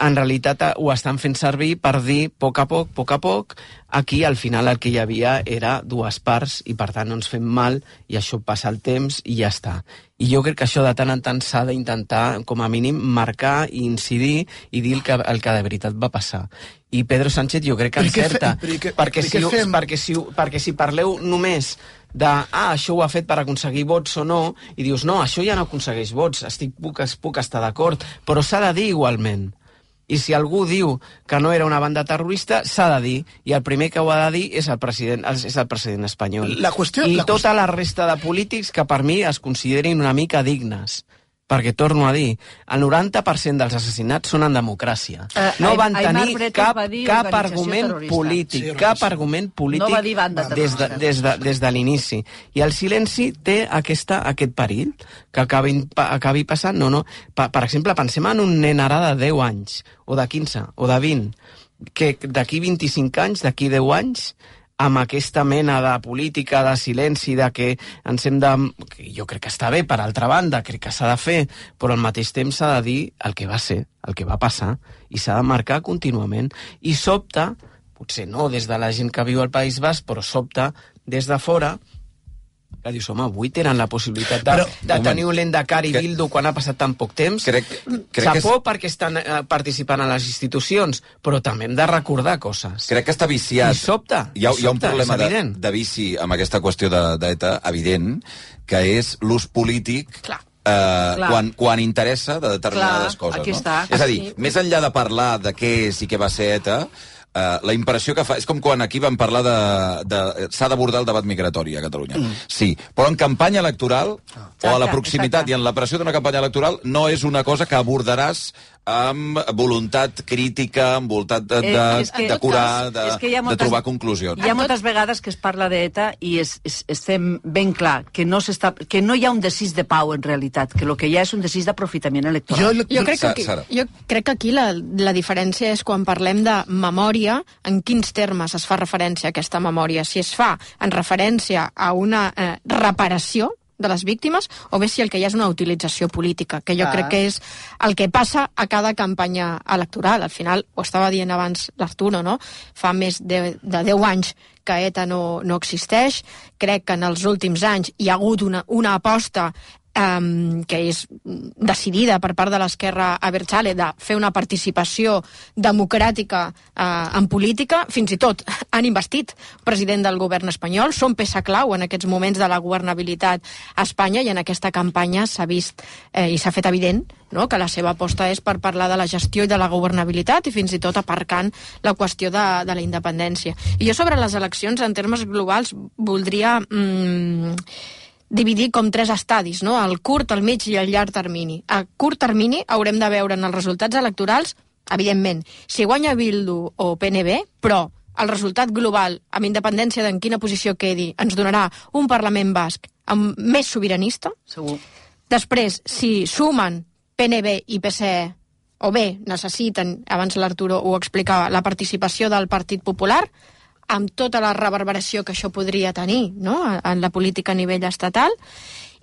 Speaker 10: en realitat ho estan fent servir per dir, a poc, aquí al final el que hi havia era dues parts i per tant no ens fem mal i això passa el temps i ja està. I jo crec que això de tant en tant s'ha d'intentar, com a mínim, marcar i incidir i dir el que de veritat va passar. I Pedro Sánchez jo crec que encerta, perquè si parleu només de això ho ha fet per aconseguir vots o no, i dius, no, això ja no aconsegueix vots, puc estar d'acord, però s'ha de dir igualment. I si algú diu que no era una banda terrorista, s'ha de dir, i el primer que ho ha de dir és el president espanyol. I tota la resta de polítics que per mi es considerin una mica dignes. Perquè, torno a dir, el 90% dels assassinats són en democràcia. No van tenir cap argument polític, des de l'inici. I el silenci té aquest perill que acabi passant. Per exemple, pensem en un nen ara de 10 anys, o de 15, o de 20, que d'aquí 25 anys, d'aquí 10 anys, amb aquesta mena de política de silenci, de que ens hem de... Jo crec que està bé, per altra banda, crec que s'ha de fer, però al mateix temps s'ha de dir el que va ser, el que va passar, i s'ha de marcar contínuament. I sobta, potser no des de la gent que viu al País Basc, però sobta des de fora, que dius, home, avui tenen la possibilitat de tenir un Lendakari Bildu quan ha passat tan poc temps. Xapó perquè estan participant a les institucions, però també hem de recordar coses.
Speaker 9: Crec que està viciat.
Speaker 10: I sobta.
Speaker 9: Hi ha un problema de vici amb aquesta qüestió d'ETA, evident, que és l'ús polític quan interessa de determinades coses. És a dir, més enllà de parlar de què és i què va ser ETA, la impressió que fa... És com quan aquí vam parlar s'ha d'abordar el debat migratori a Catalunya. Sí, però en campanya electoral o a la proximitat i en la pressió d'una campanya electoral no és una cosa que abordaràs amb voluntat crítica, amb voluntat de curar, de trobar conclusions.
Speaker 13: Hi ha moltes vegades que es parla d'ETA i estem ben clar que no hi ha un desig de pau en realitat, que el que hi ha és un desig d'aprofitament electoral.
Speaker 11: Jo crec que aquí la diferència és quan parlem de memòria, en quins termes es fa referència a aquesta memòria. Si es fa en referència a una reparació de les víctimes o bé si el que hi ha és una utilització política, que jo crec que és el que passa a cada campanya electoral. Al final, ho estava dient abans l'Arturo, no? Fa més de 10 anys que ETA no existeix. Crec que en els últims anys hi ha hagut una aposta que és decidida per part de l'esquerra abertzale de fer una participació democràtica en política. Fins i tot han investit president del govern espanyol, són peça clau en aquests moments de la governabilitat a Espanya, i en aquesta campanya s'ha vist i s'ha fet evident, no?, que la seva aposta és per parlar de la gestió i de la governabilitat i fins i tot aparcant la qüestió de la independència. I jo sobre les eleccions en termes globals voldria dividir com 3 estadis, no? El curt, el mig i el llarg termini. A curt termini haurem de veure en els resultats electorals, evidentment, si guanya Bildu o PNB, però el resultat global, amb independència d'en quina posició quedi, ens donarà un Parlament basc més sobiranista.
Speaker 13: Segur.
Speaker 11: Després, si sumen PNB i PSE, o bé necessiten, abans l'Arturo ho explicava, la participació del Partit Popular, amb tota la reverberació que això podria tenir, no?, en la política a nivell estatal.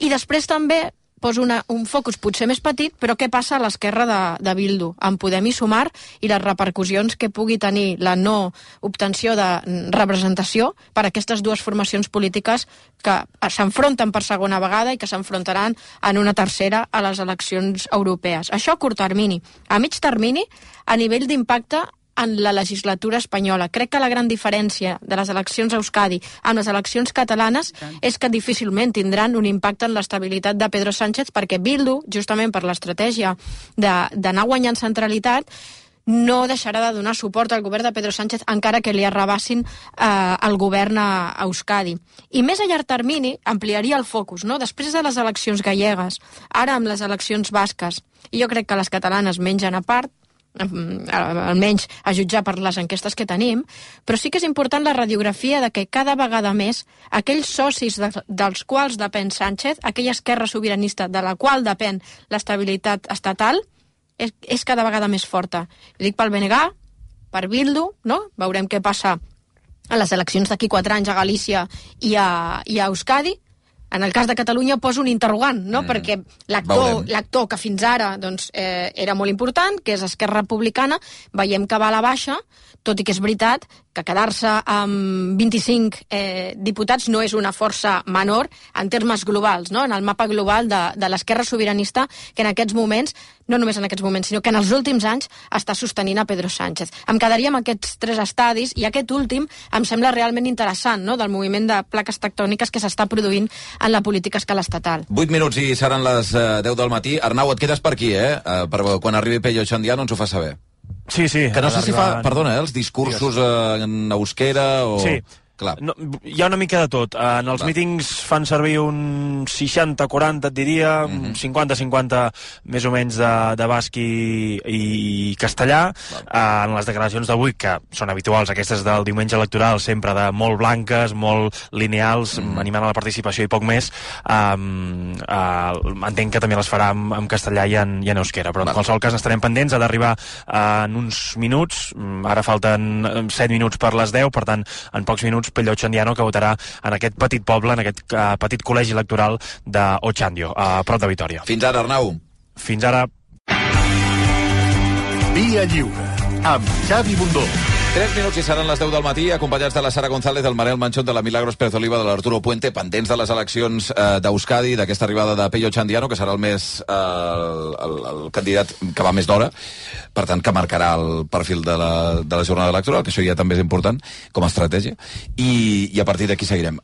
Speaker 11: I després també poso un focus potser més petit, però què passa a l'esquerra de Bildu, amb Podem i Sumar, i les repercussions que pugui tenir la no obtenció de representació per a aquestes dues formacions polítiques que s'enfronten per segona vegada i que s'enfrontaran en una tercera a les eleccions europees. Això a curt termini. A mig termini, a nivell d'impacte en la legislatura espanyola. Crec que la gran diferència de les eleccions a Euskadi amb les eleccions catalanes és que difícilment tindran un impacte en l'estabilitat de Pedro Sánchez, perquè Bildu, justament per l'estratègia d'anar guanyant centralitat, no deixarà de donar suport al govern de Pedro Sánchez encara que li arrabassin el govern a Euskadi. I més a llarg termini ampliaria el focus, no? Després de les eleccions gallegues, ara amb les eleccions basques, i jo crec que les catalanes mengen a part, almenys a jutjar per les enquestes que tenim, però sí que és important la radiografia de que cada vegada més aquells socis dels quals depèn Sánchez, aquella esquerra sobiranista de la qual depèn l'estabilitat estatal, és cada vegada més forta. Ho dic pel BNG, per Bildu, no? Veurem què passa a les eleccions d'aquí 4 anys a Galícia i a Euskadi. En el cas de Catalunya poso un interrogant, no? Perquè l'actor que fins ara era molt important, que és Esquerra Republicana, veiem que va a la baixa, tot i que és veritat que quedar-se amb 25 diputats no és una força menor en termes globals, no? En el mapa global de l'esquerra sobiranista, que en aquests moments, no només en aquests moments, sinó que en els últims anys està sostenint a Pedro Sánchez. Em quedaria amb aquests 3 estadis, i aquest últim em sembla realment interessant, no?, del moviment de plaques tectòniques que s'està produint en la política a escala estatal.
Speaker 9: 8 minuts i seran les 10 del matí. Arnau, et quedes per aquí, per quan arribi Pello Xandiano ens ho fa saber.
Speaker 14: Sí.
Speaker 9: Que no sé si fa, perdona, els discursos en euskera o...
Speaker 14: Sí.
Speaker 9: Clar.
Speaker 14: No, hi ha una mica de tot. En els mítings fan servir un 60-40, et diria, 50-50 més o menys de basc i castellà. En les declaracions d'avui, que són habituals, aquestes del diumenge electoral, sempre de molt blanques, molt lineals, animant a la participació i poc més, entenc que també les farà en castellà i en euskera, però en qualsevol cas estarem pendents. Ha d'arribar en uns minuts, ara falten 7 minuts per les 10, per tant, en pocs minuts Pello Xandiano, que votarà en aquest petit poble, en aquest petit col·legi electoral d'Otxandio, a prop de Vitoria.
Speaker 9: Fins ara, Arnau.
Speaker 14: Fins ara.
Speaker 16: Via Lliure, amb Xavi Bundó.
Speaker 9: 3 minuts i seran les 10 del matí, acompanyats de la Sara González, del Manel Manchot, de la Milagros Pérez Oliva, de l'Arturo Puente, pendents de les eleccions d'Euskadi, d'aquesta arribada de Pello Xandiano, que serà el candidat que va més d'hora, per tant, que marcarà el perfil de la jornada electoral, que això ja també és important, com a estratègia, i a partir d'aquí seguirem.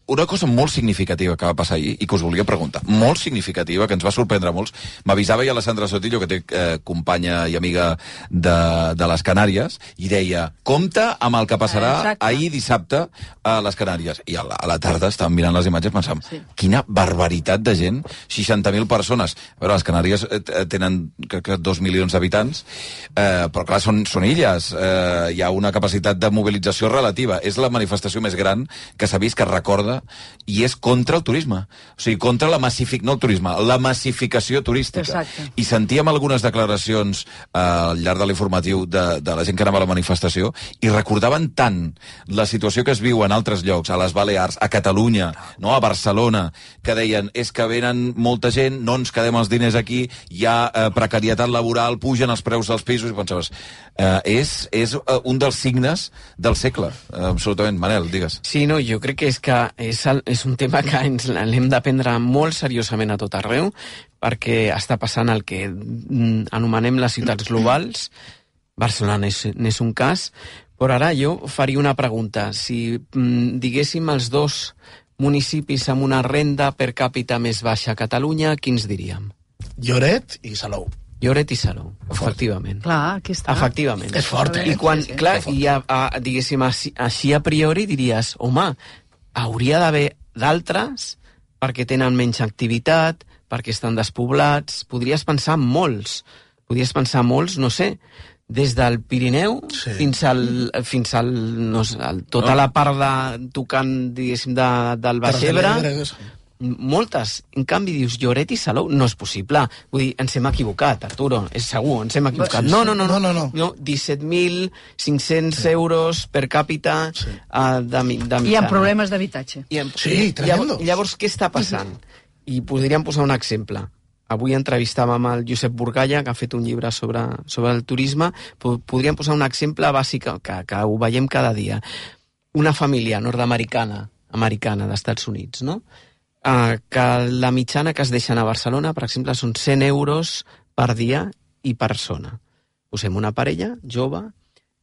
Speaker 9: Una cosa molt significativa que va passar ahir i que us volia preguntar, molt significativa, que ens va sorprendre molts, m'avisava ja la Sandra Sotillo, que té companya i amiga de les Canàries, i deia, compta amb el que passarà ahir dissabte a les Canàries. I a la tarda estàvem mirant les imatges pensant, quina barbaritat de gent, 60.000 persones. A veure, les Canàries tenen 2 milions d'habitants, però clar, són illes, hi ha una capacitat de mobilització relativa. És la manifestació més gran que s'ha vist, que recorda i és contra el turisme. O sigui, contra la massificació turística.
Speaker 13: Exacte.
Speaker 9: I sentíem algunes declaracions al llarg de l'informatiu de la gent que anava a la manifestació i recordaven tant la situació que es viu en altres llocs, a les Balears, a Catalunya, no? A Barcelona, que deien, és que venen molta gent, no ens quedem els diners aquí, hi ha precarietat laboral, pugen els preus dels pisos, i pensaves, és un dels signes del segle, absolutament. Manel, digues.
Speaker 10: Sí, no, jo crec que és un tema que ens l'hem de prendre molt seriosament a tot arreu, perquè està passant el que anomenem les ciutats globals. Barcelona n'és un cas, però ara jo faria una pregunta. Si diguéssim els dos municipis amb una renda per càpita més baixa a Catalunya, quins diríem?
Speaker 15: Lloret i Salou.
Speaker 10: Lloret i Salou, efectivament.
Speaker 13: Clar, aquí està.
Speaker 10: Efectivament.
Speaker 15: És fort,
Speaker 10: I quan, clar, diguéssim, així a priori diries, home, hauria d'haver d'altres perquè tenen menys activitat, perquè estan despoblats. Podries pensar en molts, no sé, des del Pirineu fins al tota la part de tocant, diguéssim, del Baix Ebre. Moltes. En canvi, dius, Lloret i Salou, no és possible. Vull dir, ens hem equivocat, Arturo, és segur, ens hem equivocat. No. 17.500 euros per càpita de mitjana.
Speaker 13: Hi ha problemes d'habitatge.
Speaker 15: Sí, tremendos.
Speaker 10: Llavors, què està passant? I podríem posar un exemple. Avui entrevistàvem el Josep Burgalla, que ha fet un llibre sobre el turisme. Podríem posar un exemple bàsic que ho veiem cada dia. Una família nord-americana d'Estats Units, no? Que la mitjana que es deixen a Barcelona, per exemple, són 100 euros per dia i persona. Posem una parella jove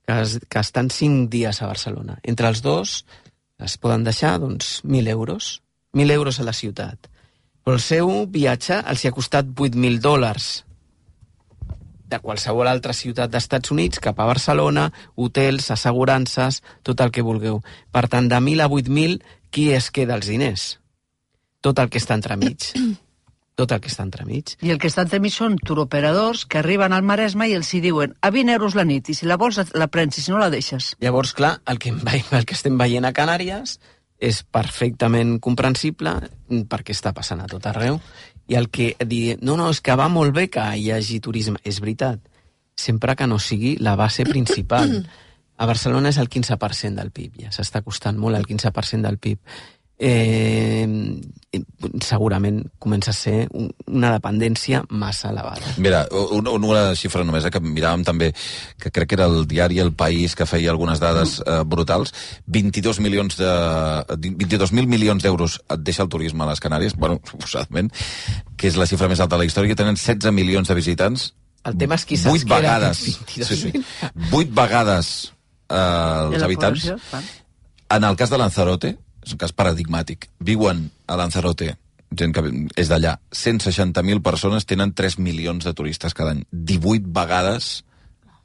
Speaker 10: que estan 5 dies a Barcelona. Entre els dos es poden deixar, doncs, 1.000 euros. 1.000 euros a la ciutat. Però el seu viatge els ha costat $8.000 de qualsevol altra ciutat d'Estats Units cap a Barcelona, hotels, assegurances, tot el que vulgueu. Per tant, de 1.000 a 8.000, qui es queda els diners? Tot el que està entremig. I
Speaker 13: el que està entremig són turoperadors que arriben al Maresme i els hi diuen a 20 euros la nit, i si la vols la prens, i si no la deixes.
Speaker 10: Llavors, clar, el que estem veient a Canàries és perfectament comprensible perquè està passant a tot arreu. I el que dir, no, és que va molt bé que hi hagi turisme. És veritat, sempre que no sigui la base principal. A Barcelona és el 15% del PIB, ja s'està costant molt el 15% del PIB. Segurament comença a ser una dependència massa elevada.
Speaker 9: Mira, una xifra només, que miràvem també, que crec que era el diari El País, que feia algunes dades brutals. 22.000 milions d'euros et deixa el turisme a les Canàries, bueno, suposadament, que és la xifra més alta de la història, que tenen 16 milions de visitants.
Speaker 10: El tema és qui se'ls queda aquests
Speaker 9: 22.000. 8 vegades els habitants. En el cas de Lanzarote, és un cas paradigmàtic. Viuen a Lanzarote, gent que és d'allà, 160.000 persones, tenen 3 milions de turistes cada any. 18 vegades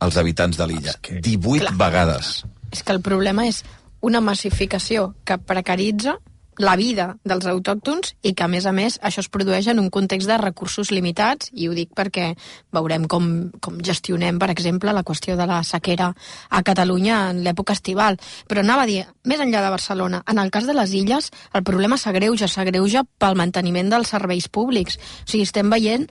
Speaker 9: els habitants de l'illa. 18 vegades.
Speaker 11: És que el problema és una massificació que precaritza la vida dels autòctons i que, a més, això es produeix en un context de recursos limitats, i ho dic perquè veurem com gestionem, per exemple, la qüestió de la sequera a Catalunya en l'època estival. Però anava a dir, més enllà de Barcelona, en el cas de les illes, el problema s'agreuja pel manteniment dels serveis públics. O sigui, estem veient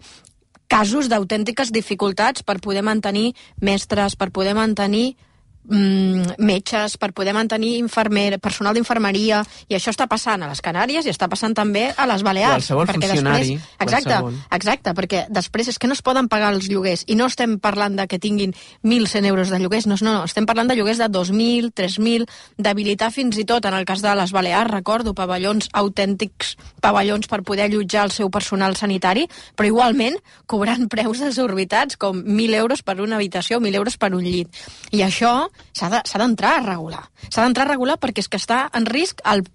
Speaker 11: casos d'autèntiques dificultats per poder mantenir mestres, per poder mantenir metges, per poder mantenir personal d'infermeria, i això està passant a les Canàries i està passant també a les Balears.
Speaker 10: Qualsevol funcionari.
Speaker 11: Exacte, perquè després és que no es poden pagar els lloguers, i no estem parlant de que tinguin 1.100 euros de lloguers, no, estem parlant de lloguers de 2.000, 3.000, d'habilitar fins i tot, en el cas de les Balears, recordo, autèntics pavellons per poder allotjar el seu personal sanitari, però igualment cobrant preus desorbitats, com 1.000 euros per una habitació, 1.000 euros per un llit. I això s'ha d'entrar a regular. S'ha d'entrar a regular perquè és que està en risc el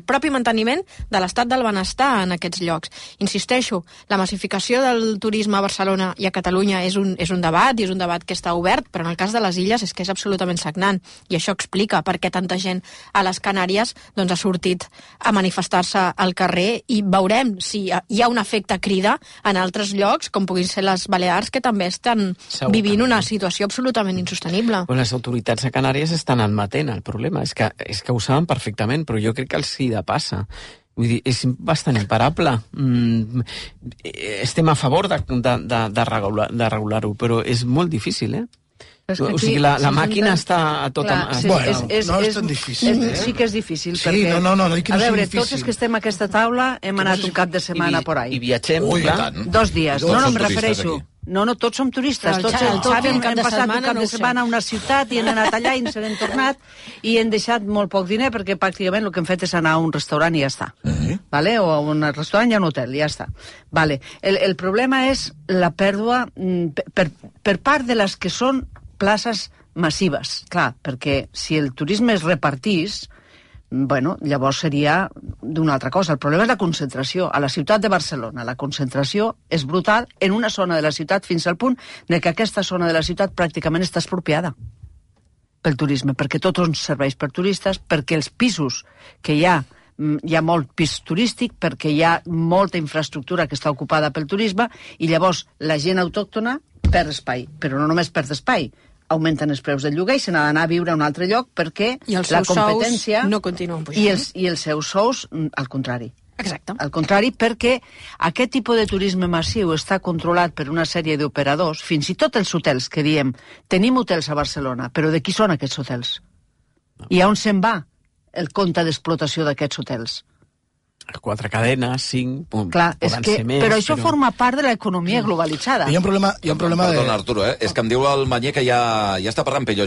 Speaker 11: propi manteniment de l'estat del benestar en aquests llocs. Insisteixo, la massificació del turisme a Barcelona i a Catalunya és un debat, i és un debat que està obert, però en el cas de les illes és que és absolutament sagnant, i això explica per què tanta gent a les Canàries doncs, ha sortit a manifestar-se al carrer, i veurem si hi ha un efecte crida en altres llocs, com puguin ser les Balears, que també estan vivint una situació absolutament insostenible.
Speaker 10: Les autoritats a Canàries estan admetent el problema, és que ho saben perfectament, però jo crec que els seguida passa. Vull dir, és bastant imparable. Estem a favor de regular-ho, però és molt difícil, O sigui, la màquina està a tot...
Speaker 15: Bueno, no és tan difícil.
Speaker 13: Sí que és difícil,
Speaker 15: perquè... No, dic que no és difícil.
Speaker 13: A veure, tots els que estem a aquesta taula hem anat un cap de setmana por ahí.
Speaker 10: I viatgem, clar.
Speaker 13: 2 dies. No, em refereixo. No, tots som turistes. Tots hem passat un cap de setmana a una ciutat i hem anat allà i ens n'hem tornat i hem deixat molt poc diner perquè pràcticament el que hem fet és anar a un restaurant i ja està. Vale? O a un restaurant i a un hotel, i ja està. Vale. El problema és la pèrdua per part de les que són places massives, clar, perquè si el turisme es repartís, bueno, llavors seria d'una altra cosa. El problema és la concentració. A la ciutat de Barcelona la concentració és brutal en una zona de la ciutat fins al punt de que aquesta zona de la ciutat pràcticament està expropiada pel turisme, perquè tot ens serveix per turistes, perquè els pisos que hi ha molt pis turístic, perquè hi ha molta infraestructura que està ocupada pel turisme i llavors la gent autòctona perd espai, però no només perd espai, augmenten els preus del lloguer i se n'ha d'anar a viure a un altre lloc perquè la competència...
Speaker 11: no continuen pujant.
Speaker 13: I els seus sous, al contrari.
Speaker 11: Exacte.
Speaker 13: Al contrari, perquè aquest tipus de turisme massiu està controlat per una sèrie d'operadors, fins i tot els hotels que diem, tenim hotels a Barcelona, però de qui són aquests hotels? I on se'n va el compte d'explotació d'aquests hotels?
Speaker 10: 4 cadenes, 5,
Speaker 13: clar,
Speaker 10: poden ser més.
Speaker 13: Però això forma part de l'economia globalitzada.
Speaker 15: Hi ha un problema de...
Speaker 9: Perdona, Arturo, és que em diu el Manyer que ja està parlant Pello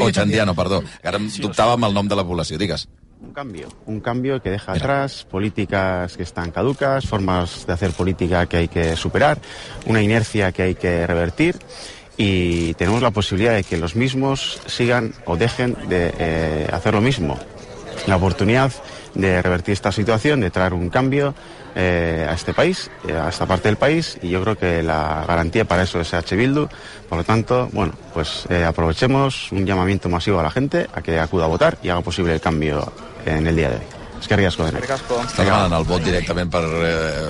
Speaker 9: Ochandiano, perdó. Ara em dubtava amb el nom de la població, digues.
Speaker 2: Un cambio que deja atrás políticas que están caducas, formas de hacer política que hay que superar, una inercia que hay que revertir. Y tenemos la posibilidad de que los mismos sigan o dejen de hacer lo mismo. La oportunidad de revertir esta situación, de traer un cambio a este país, a esta parte del país, y yo creo que la garantía para eso es H. Bildu. Por lo tanto, bueno, pues aprovechemos un llamamiento masivo a la gente a que acuda a votar y haga posible el cambio en el día de hoy. És que riesgo de
Speaker 9: Està demanant el vot directament per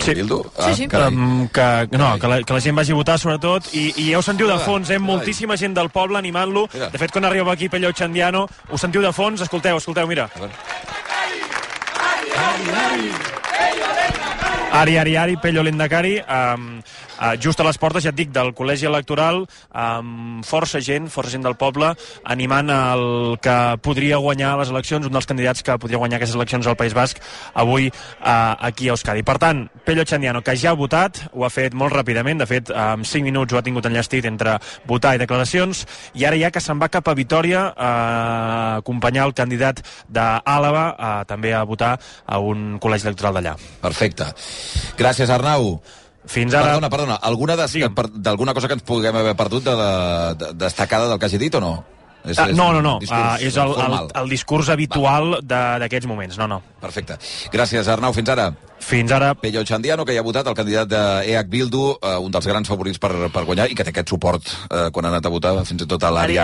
Speaker 9: Bildu?
Speaker 14: Sí. Que la gent vagi a votar, sobretot, i ja ho sentiu de fons, moltíssima gent del poble animant-lo. De fet, quan arriba aquí Pello Ochandiano, ho sentiu de fons, escolteu, mira. Ari, Pello Lendakari, just a les portes, ja et dic, del col·legi electoral, amb força gent del poble, animant el que podria guanyar les eleccions, un dels candidats que podria guanyar aquestes eleccions al País Basc, avui aquí a Euskadi. Per tant, Pello Ochandiano, que ja ha votat, ho ha fet molt ràpidament, de fet, en 5 minuts ho ha tingut enllestit entre votar i declaracions, i ara ja que se'n va cap a Vitòria a acompanyar el candidat d'Àlava també a votar a un col·legi electoral d'allà.
Speaker 9: Perfecte. Gràcies, Arnau.
Speaker 14: Fins ara...
Speaker 9: Perdona, d'alguna cosa que ens puguem haver perdut destacada del que hagi dit o no?
Speaker 14: No. És el discurs habitual d'aquests moments, no.
Speaker 9: Perfecte. Gràcies, Arnau. Fins ara.
Speaker 14: Fins ara.
Speaker 9: Pello Ochandiano, que ja ha votat, el candidat d'EH Bildu, un dels grans favorits per guanyar, i que té aquest suport quan ha anat a votar, fins i tot a l'Ari,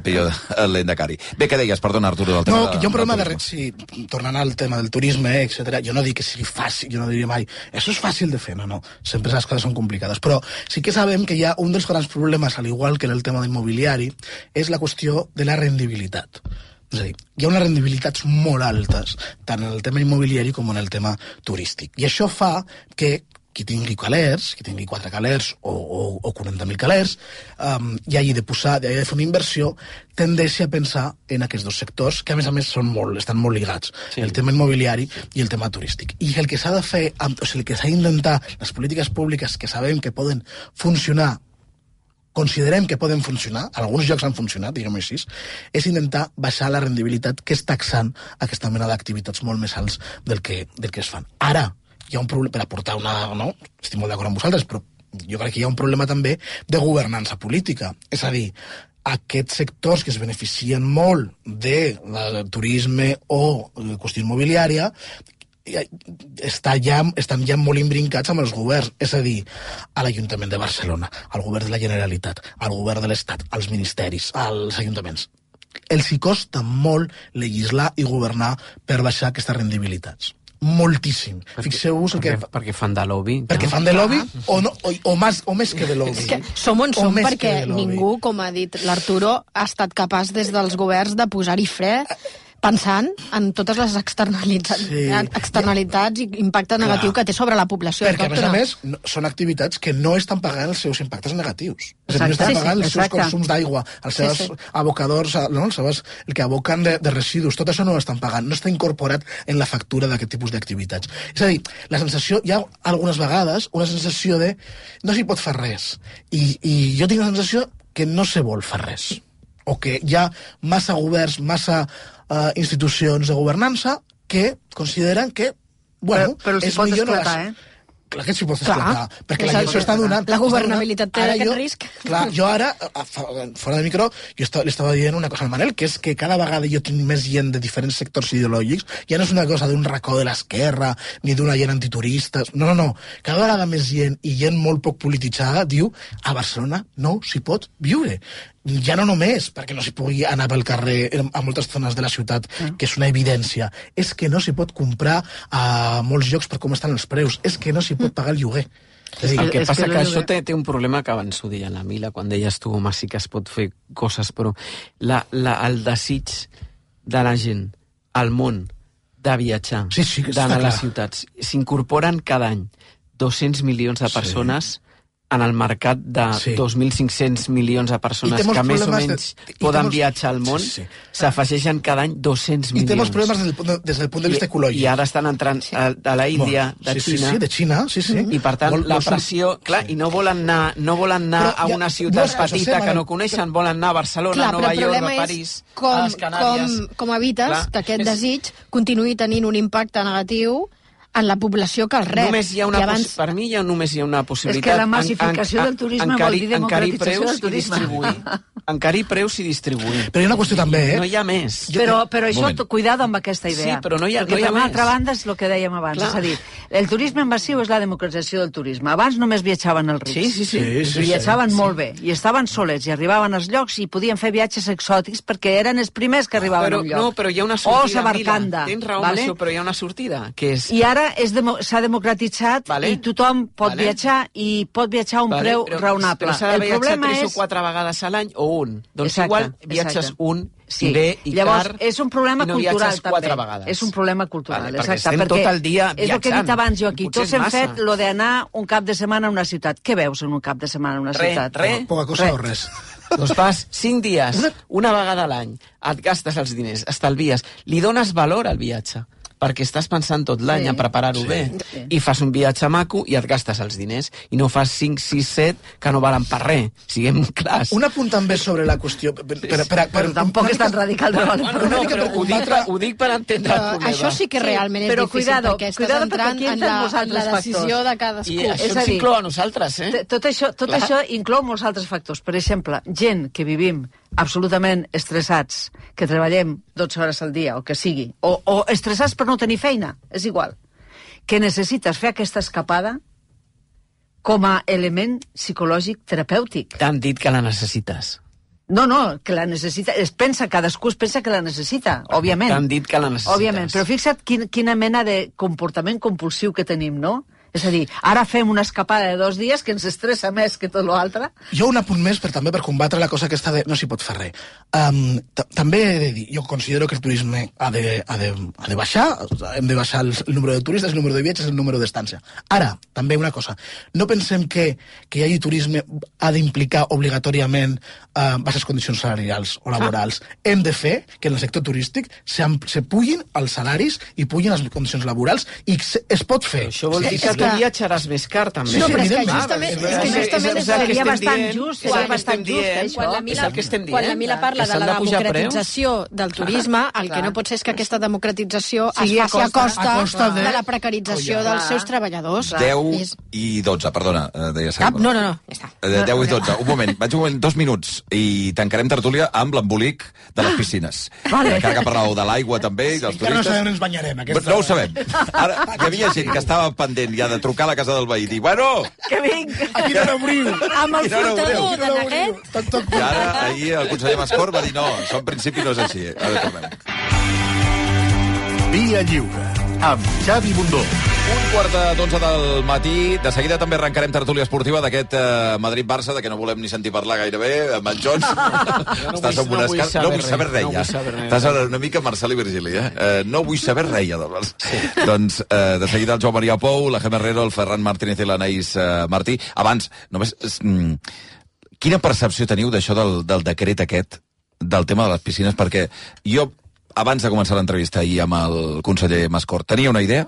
Speaker 9: Pello Lendakari. Bé, què deies? Perdona, Arturo, del tema...
Speaker 15: No, que hi ha un problema de... tornant al tema del turisme, etc. Jo no dic que sigui fàcil, jo no diria mai, això és fàcil de fer, no. Sempre les coses són complicades, però sí que sabem que hi ha un dels grans problemes, al igual que en el tema immobiliari, és la qüestió de la rendibilitat. És a dir, hi ha unes rendibilitats molt altes, tant en el tema immobiliari com en el tema turístic. I això fa que qui tingui calers, qui tingui 4 calers o 40.000 calers, i hagi de fer una inversió, tendeixi a pensar en aquests dos sectors, que a més estan molt lligats, el tema immobiliari i el tema turístic. I el que s'ha de fer, el que s'ha d'intentar, les polítiques públiques que sabem que poden funcionar, considerem que poden funcionar, alguns llocs han funcionat, diguem-ho així, és intentar baixar la rendibilitat que és taxant aquesta mena d'activitats molt més alts del que es fan. Ara, hi ha un problema, per aportar no? Estic molt d'acord amb vosaltres, però jo crec que hi ha un problema també de governança política. És a dir, aquests sectors que es beneficien molt del turisme o de qüestió immobiliària estan ja molt imbrincats amb els governs, és a dir, a l'Ajuntament de Barcelona, al govern de la Generalitat, al govern de l'Estat, als ministeris, als ajuntaments. Els hi costa molt legislar i governar per baixar aquestes rendibilitats. moltíssim. Fixeu-vos el que...
Speaker 10: Perquè fan de lobby.
Speaker 15: Perquè fan de lobby o més que de lobby.
Speaker 11: És que som on som perquè ningú, com ha dit l'Arturo, ha estat capaç des dels governs de posar-hi fre pensant en totes les externalitats i impacte negatiu que té sobre la població
Speaker 15: autòctona. Perquè, a més, són activitats que no estan pagant els seus impactes negatius. No estan pagant els seus consums d'aigua, els seus abocadors, el que aboquen de residus, tot això no ho estan pagant, no està incorporat en la factura d'aquest tipus d'activitats. És a dir, la sensació, hi ha algunes vegades una sensació de no s'hi pot fer res. I jo tinc la sensació que no se vol fer res. O que hi ha massa governs, massa institucions de governança que consideren que, bueno,
Speaker 13: però els pot esclatar,
Speaker 15: Clar que s'hi pot esclatar, perquè la gent s'ho està donant.
Speaker 11: La governabilitat té aquest risc.
Speaker 15: Clar, jo ara, fora de micro, li estava dient una cosa al Manel, que és que cada vegada jo tinc més gent de diferents sectors ideològics, ja no és una cosa d'un racó de l'esquerra, ni d'una gent antituristes, no. Cada vegada més gent, i gent molt poc polititzada, diu, a Barcelona no s'hi pot viure. Ja no només perquè no s'hi pugui anar pel carrer a moltes zones de la ciutat, que és una evidència, és que no s'hi pot comprar a molts llocs per com estan els preus, és que no s'hi pot pagar el lloguer.
Speaker 10: El que passa que això té un problema que abans ho deia la Mila, quan deies tu, home, sí que es pot fer coses, però el desig de la gent al món de viatjar, d'anar a les ciutats, s'incorporen cada any 200 milions de persones en el mercat de 2.500 milions de persones que més o menys poden viatjar al món, s'afegeixen cada any 200 milions.
Speaker 15: I té molts problemes des del punt de vista ecològic.
Speaker 10: I ara estan entrant de la Índia, de Xina.
Speaker 15: Sí, de Xina, sí.
Speaker 10: I per tant, la pressió... Clar, i no volen anar a una ciutat petita que no coneixen, volen anar a Barcelona, a Nova York, a París, a les Canàries.
Speaker 11: Com evites que aquest desig continuï tenint un impacte negatiu en la població que el rep.
Speaker 10: Per mi només hi ha una possibilitat.
Speaker 13: És que la massificació del turisme vol dir democratització del turisme.
Speaker 10: Encarir preus i distribuir.
Speaker 15: Però hi ha una qüestió també,
Speaker 10: No hi ha més.
Speaker 13: Però això, cuidado amb aquesta idea.
Speaker 10: Sí, però no hi ha
Speaker 13: perquè per
Speaker 10: més.
Speaker 13: l'altra banda és el que dèiem abans. És a dir, el turisme massiu és la democratització del turisme. Abans només viatjaven els rics.
Speaker 10: Sí.
Speaker 13: Viatjaven molt bé. I estaven solets i arribaven als llocs i podien fer viatges exòtics perquè eren els primers que arribaven al lloc.
Speaker 10: No, però hi ha una sortida.
Speaker 13: O Samarcanda.
Speaker 10: Tens raó amb això, però hi ha una sortida, que és...
Speaker 13: I ara s'ha democratitzat i tothom pot viatjar i pot viatjar a un preu raonable.
Speaker 10: Però s'ha de viatjar 3 o 4 vegades a l'any o un. Doncs igual viatges un i bé i
Speaker 13: llavors,
Speaker 10: car
Speaker 13: és un problema
Speaker 10: i no
Speaker 13: cultural,
Speaker 10: viatges 4 vegades.
Speaker 13: És un problema cultural,
Speaker 10: perquè estem tot el dia viatjant.
Speaker 13: És el que he dit abans jo aquí. Tots hem fet lo d'anar un cap de setmana a una ciutat. Què veus en un cap de setmana a una ciutat?
Speaker 15: Poca cosa o res.
Speaker 10: Doncs vas 5 dies, una vegada a l'any, et gastes els diners, estalvies, li dones valor al viatge, perquè estàs pensant tot l'any a preparar-ho bé. I fas un viatge maco i et gastes els diners. I no fas 5, 6, 7 que no valen per res. Siguem clars.
Speaker 15: Un apunt també sobre la qüestió...
Speaker 13: Però tampoc és tan radical de valer.
Speaker 10: Ho dic per entendre el problema.
Speaker 11: Això sí que realment és difícil, perquè estàs entrant en la decisió de cadascú.
Speaker 10: I això ens inclou a nosaltres,
Speaker 13: Tot això inclou molts altres factors. Per exemple, gent que vivim absolutament estressats, que treballem 12 hores al dia, o que sigui, o estressats per no tenir feina, és igual, que necessites fer aquesta escapada com a element psicològic terapèutic.
Speaker 10: T'han dit que la necessites.
Speaker 13: No, que la necessita... Cadascú es pensa que la necessita, òbviament.
Speaker 10: T'han dit que la necessites.
Speaker 13: Òbviament, però fixa't quina mena de comportament compulsiu que tenim, no? És a dir, ara fem una escapada de 2 dies que ens estressa més que tot l'altre.
Speaker 15: Jo un apunt més també per combatre la cosa aquesta de no s'hi pot fer res. També he de dir, jo considero que el turisme ha de baixar, hem de baixar el número de turistes, el número de viatges, el número d'estància. Ara, també una cosa, no pensem que hi hagi turisme ha d'implicar obligatòriament baixes condicions salarials o laborals. Hem de fer que en el sector turístic se pugin els salaris i pugin les condicions laborals i es pot fer.
Speaker 10: Això vol dir que tu viatjaràs més car, també.
Speaker 11: No, però és que justament
Speaker 13: seria bastant just, això.
Speaker 11: Quan la Mila parla de la democratització del turisme, el que no pot ser és que aquesta democratització es faci a costa de la precarització dels seus treballadors.
Speaker 9: 10 i 12, perdona, deia Salva.
Speaker 11: No, ja està.
Speaker 9: 10 i 12, un moment, 2 minuts, i tancarem tertúlia amb l'embolic de les piscines. Encara que parlàveu de l'aigua també i dels turistes.
Speaker 15: Que no sabem on ens banyarem.
Speaker 9: No ho sabem. Ara, hi havia gent que estava pendent ja de trucar a la casa del veí i dir, bueno...
Speaker 13: Que vinc!
Speaker 15: Aquí no n'obriu!
Speaker 11: Amb el flotador de Neguet.
Speaker 9: I ara, ahir, el conseller Mascor va dir no, això en principi no és així. Ara tornem.
Speaker 16: Via Lliure, amb Xavi Bundó.
Speaker 9: 11:45 del matí. De seguida també arrencarem tertúlia esportiva d'aquest Madrid-Barça, de què no volem ni sentir parlar gairebé, amb en Jones. Estàs amb una escala... No vull saber res, ja. Estàs una mica Marcel i Virgili, No vull saber res, ja, del Barça. Doncs, de seguida el Joan Maria Pou, la Gemma Herrero, el Ferran Martínez i l'Anaïs Martí. Abans, només... Quina percepció teniu d'això del decret aquest, del tema de les piscines? Perquè jo, abans de començar l'entrevista ahir amb el conseller Mascort, tenia una idea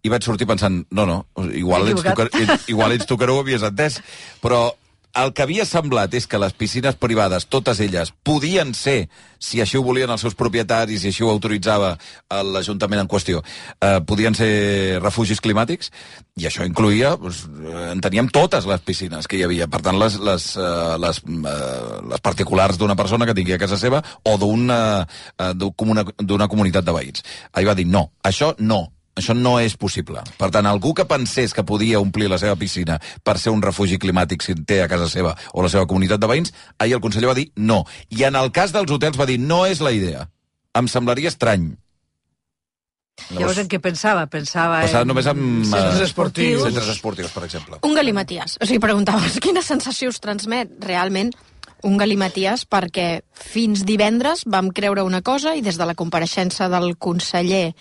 Speaker 9: i vaig sortir pensant, no, igual ets tu que no ho havies entès, però el que havia semblat és que les piscines privades, totes elles, podien ser, si així ho volien els seus propietaris, si així ho autoritzava l'Ajuntament en qüestió, podien ser refugis climàtics, i això incloïa, enteníem totes les piscines que hi havia, per tant, les particulars d'una persona que tingui a casa seva o d'una comunitat de veïns. Ahir va dir, no, això no és possible. Per tant, algú que pensés que podia omplir la seva piscina per ser un refugi climàtic si en té a casa seva o la seva comunitat de veïns, ahir el conseller va dir no. I en el cas dels hotels va dir no és la idea. Em semblaria estrany.
Speaker 13: Llavors en què pensava? Pensava
Speaker 9: només en
Speaker 13: centres esportius.
Speaker 9: Centres esportius, per exemple.
Speaker 11: Un galimaties. O sigui, preguntaves quina sensació us transmet realment un galimaties, perquè fins divendres vam creure una cosa i des de la compareixença del conseller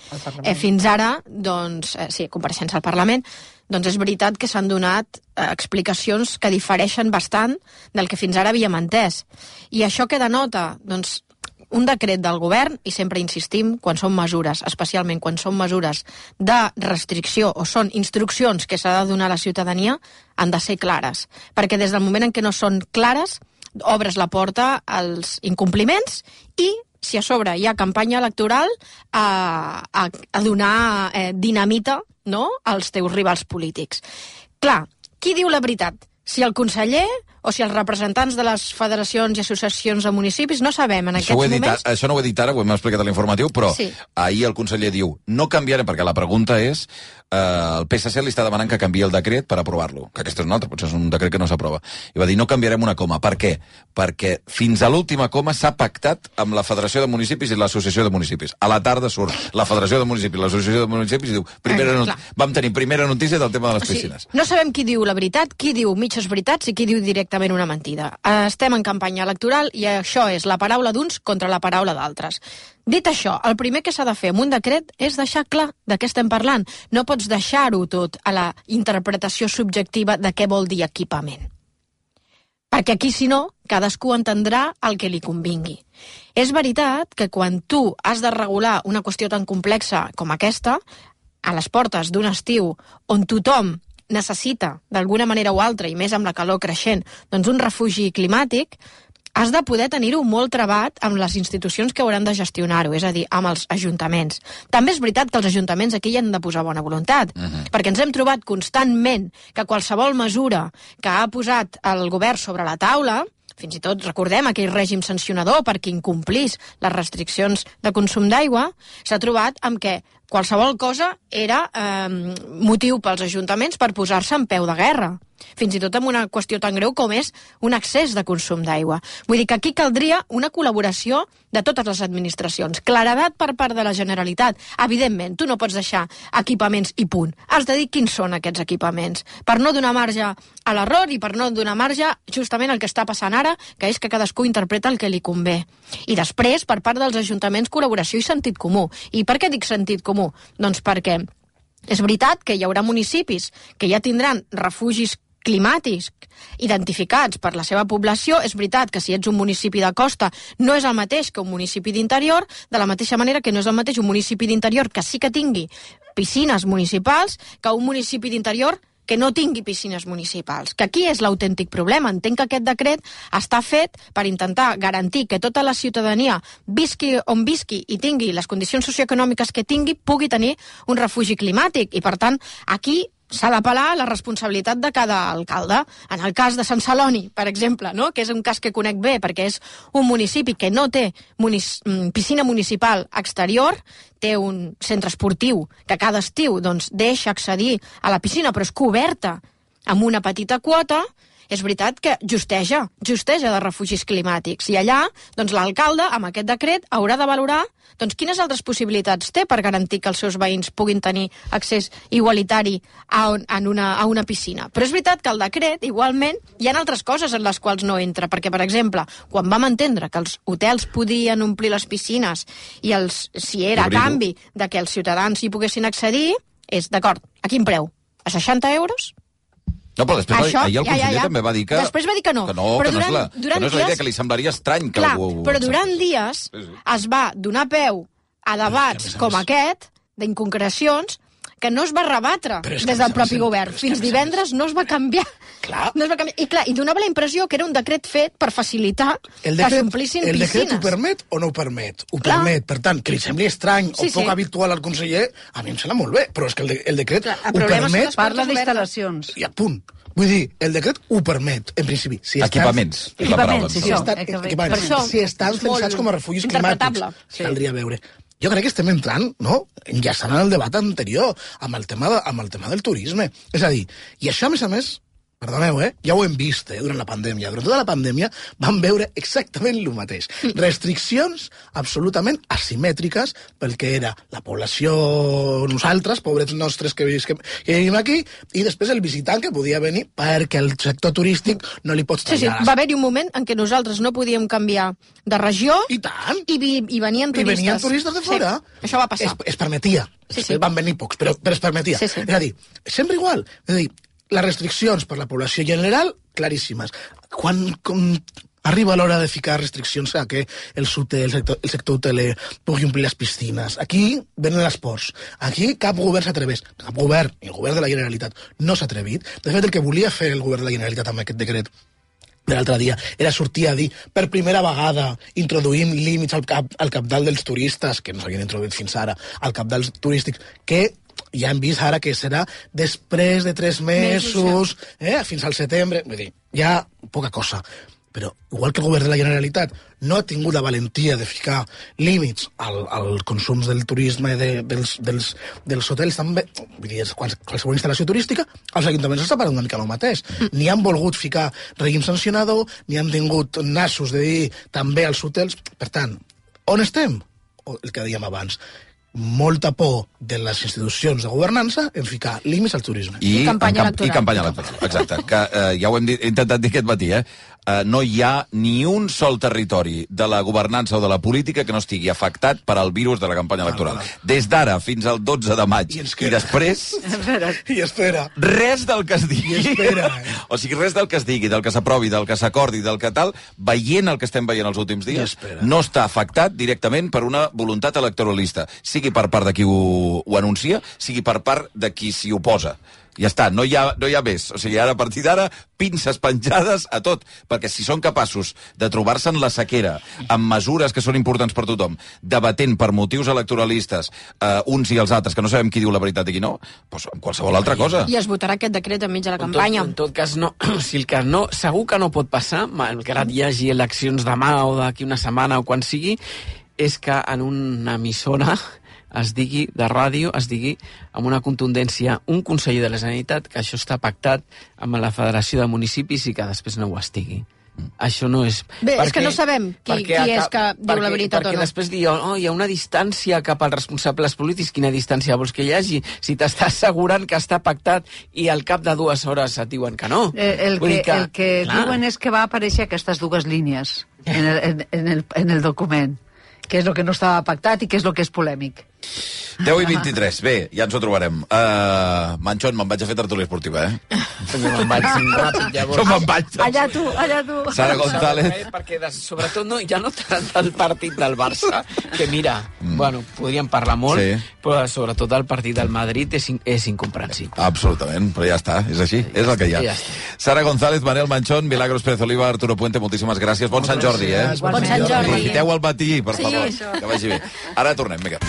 Speaker 11: fins ara, doncs, compareixença al Parlament, doncs és veritat que s'han donat explicacions que difereixen bastant del que fins ara havíem entès. I això què denota? Doncs un decret del govern, i sempre insistim, quan són mesures, especialment quan són mesures de restricció o són instruccions que s'ha de donar a la ciutadania, han de ser clares. Perquè des del moment en què no són clares, obres la porta als incompliments i, si a sobre hi ha campanya electoral, a donar dinamita, no?, als teus rivals polítics. Clar, qui diu la veritat? Si el conseller o si els representants de les federacions i associacions de municipis, no sabem en aquests moments...
Speaker 9: Això no ho he dit ara, ho hem explicat a l'informatiu, però ahir el conseller diu, no canviarem, perquè la pregunta és, el PSC li està demanant que canviï el decret per aprovar-lo, que aquest és un altre, potser és un decret que no s'aprova. I va dir, no canviarem una coma. Per què? Perquè fins a l'última coma s'ha pactat amb la Federació de Municipis i l'Associació de Municipis. A la tarda surt la Federació de Municipis i l'Associació de Municipis i diu, vam tenir primera notícia del tema de les piscines.
Speaker 11: No sabem qui diu la veritat, qui diu mitges veritats i qui diu directament una mentida. Estem en campanya electoral i això és la paraula d'uns contra la paraula d'altres. Dit això, el primer que s'ha de fer amb un decret és deixar clar de què estem parlant. No pots deixar-ho tot a la interpretació subjectiva de què vol dir equipament. Perquè aquí, si no, cadascú entendrà el que li convingui. És veritat que quan tu has de regular una qüestió tan complexa com aquesta, a les portes d'un estiu on tothom necessita, d'alguna manera o altra, i més amb la calor creixent, doncs un refugi climàtic, has de poder tenir-ho molt travat amb les institucions que hauran de gestionar-ho, és a dir, amb els ajuntaments. També és veritat que els ajuntaments aquí hi han de posar bona voluntat, perquè ens hem trobat constantment que qualsevol mesura que ha posat el govern sobre la taula, fins i tot recordem aquell règim sancionador per qui incomplís les restriccions de consum d'aigua, s'ha trobat amb què qualsevol cosa era motiu pels ajuntaments per posar-se en peu de guerra. Fins i tot amb una qüestió tan greu com és un excés de consum d'aigua. Vull dir que aquí caldria una col·laboració de totes les administracions. Claredat per part de la Generalitat. Evidentment, tu no pots deixar equipaments i punt. Has de dir quins són aquests equipaments. Per no donar marge a l'error i per no donar marge justament el que està passant ara, que és que cadascú interpreta el que li convé. I després, per part dels ajuntaments, col·laboració i sentit comú. I per què dic sentit comú? Doncs perquè és veritat que hi haurà municipis que ja tindran refugis climàtics identificats per la seva població. És veritat que si ets un municipi de costa no és el mateix que un municipi d'interior, de la mateixa manera que no és el mateix un municipi d'interior que sí que tingui piscines municipals que un municipi d'interior que no tingui piscines municipals. Que aquí és l'autèntic problema. Entenc que aquest decret està fet per intentar garantir que tota la ciutadania, visqui on visqui i tingui les condicions socioeconòmiques que tingui, pugui tenir un refugi climàtic. I, per tant, aquí s'ha d'apel·lar a la responsabilitat de cada alcalde. En el cas de Sant Celoni, per exemple, no?, que és un cas que conec bé perquè és un municipi que no té piscina municipal exterior, té un centre esportiu que cada estiu doncs, deixa accedir a la piscina, però és coberta amb una petita quota. és veritat que justeja de refugis climàtics. I allà, doncs, l'alcalde, amb aquest decret, haurà de valorar doncs, quines altres possibilitats té per garantir que els seus veïns puguin tenir accés igualitari a una piscina. Però és veritat que el decret, igualment, hi ha altres coses en les quals no entra, perquè, per exemple, quan vam entendre que els hotels podien omplir les piscines i si era a canvi de que els ciutadans hi poguessin accedir, és, d'acord, a quin preu? A 60 euros?
Speaker 9: No, però després ahir el conseller també va dir que...
Speaker 11: Després va dir que no.
Speaker 9: Que no és la idea, que li semblaria estrany que algú...
Speaker 11: Però durant dies es va donar peu a debats com aquest, d'inconcrecions, que no es va rebatre des del propi govern. Fins divendres no es va canviar. I donava la impressió que era un decret fet per facilitar que s'omplissin piscines.
Speaker 15: El decret ho permet o no ho permet? Ho permet. Per tant, que li sembli estrany o poc habitual al conseller, a mi em sembla molt bé, però és que el decret ho permet...
Speaker 13: Parla d'instal·lacions.
Speaker 15: I a punt. Vull dir, el decret ho permet, en principi.
Speaker 9: Equipaments.
Speaker 15: Si estan pensats com a refugis climàtics, caldria veure. Jo crec que estem entrant, no?, enllaçant en el debat anterior, amb el tema del turisme. És a dir, i això, a més, perdoneu, ja ho hem vist durant la pandèmia. Durant tota la pandèmia vam veure exactament el mateix. Restriccions absolutament asimètriques pel que era la població, nosaltres, pobrets nostres que vivim aquí, i després el visitant que podia venir perquè el sector turístic no li pots tallar.
Speaker 11: Va haver-hi un moment en què nosaltres no podíem canviar de regió i venien turistes.
Speaker 15: I venien turistes de fora.
Speaker 11: Això va passar.
Speaker 15: Es permetia. Després van venir pocs, però es permetia. És a dir, sempre igual. És a dir, les restriccions per la població general, claríssimes. Quan arriba l'hora de ficar restriccions a que el sector hoteler pugui omplir les piscines, aquí venen els ports. Aquí cap govern s'atreveix. Cap govern, i el govern de la Generalitat, no s'ha atrevit. De fet, el que volia fer el govern de la Generalitat amb aquest decret de l'altre dia era sortir a dir per primera vegada introduïm límits al cabdal dels turistes, que no s'havien introduït fins ara, al cabdal turístics, que ja hem vist ara que serà després de 3 mesos, fins al setembre. Vull dir, hi ha poca cosa. Però, igual que el govern de la Generalitat no ha tingut la valentia de ficar límits al consum del turisme dels hotels, també, vull dir, qualsevol instal·lació turística, els ajuntaments estan parlant una mica el mateix. Ni han volgut ficar règim sancionador, ni han tingut nassos de dir també als hotels. Per tant, on estem? El que dèiem abans. Molta por de les institucions de governança en ficar límits al turisme.
Speaker 9: I campanya electoral. Exacte, que ja ho hem intentat dir aquest matí, no hi ha ni un sol territori de la governança o de la política que no estigui afectat per al virus de la campanya electoral. Des d'ara fins al 12 de maig. I després...
Speaker 15: I espera.
Speaker 9: Res del que es digui.
Speaker 15: I espera.
Speaker 9: O sigui, res del que es digui, del que s'aprovi, del que s'acordi, del que tal, veient el que estem veient els últims dies, no està afectat directament per una voluntat electoralista. Sigui per part de qui ho anuncia, sigui per part de qui s'hi oposa. Ja està, no hi ha més. O sigui, ara, a partir d'ara, pinces penjades a tot. Perquè si són capaços de trobar-se en la sequera, amb mesures que són importants per tothom, debatent per motius electoralistes uns i els altres, que no sabem qui diu la veritat i qui no, doncs amb qualsevol altra cosa.
Speaker 11: I es votarà aquest decret enmig de la campanya.
Speaker 10: En tot cas, no. Si el que no, segur que no pot passar, malgrat hi hagi eleccions demà o d'aquí una setmana o quan sigui, és que en una emissora es digui, de ràdio, es digui amb una contundència un conseller de la Generalitat que això està pactat amb la Federació de Municipis i que després no ho estigui. Això no és...
Speaker 11: Bé, és que no sabem qui és que diu la veritat o no.
Speaker 10: Perquè després diuen, hi ha una distància cap als responsables polítics. Quina distància vols que hi hagi? Si t'estàs assegurant que està pactat i al cap de 2 hores et diuen que no.
Speaker 13: El que diuen és que va aparèixer aquestes 2 línies en el document, que és el que no estava pactat i que és el que és polèmic.
Speaker 9: 10 i 23. Bé, ja ens ho trobarem. Manchón, me'n vaig a fer tertúlia esportiva,
Speaker 10: Me'n vaig ràpid, llavors.
Speaker 9: Jo me'n vaig.
Speaker 13: Allà tu.
Speaker 9: Sara González.
Speaker 10: Perquè, sobretot, ja no tant del partit del Barça, que mira, bueno, podríem parlar molt, però sobretot el partit del Madrid és incomprensible.
Speaker 9: Absolutament, però ja està, és així, és el que hi ha. Sara González, Manel Manchón, Milagros Pérez Oliva, Arturo Puente, moltíssimes gràcies. Bon Sant Jordi,
Speaker 11: Bon Sant Jordi.
Speaker 9: Aprofiteu el matí, per favor.
Speaker 11: Sí,
Speaker 9: que vagi bé. Ara tornem, vinga.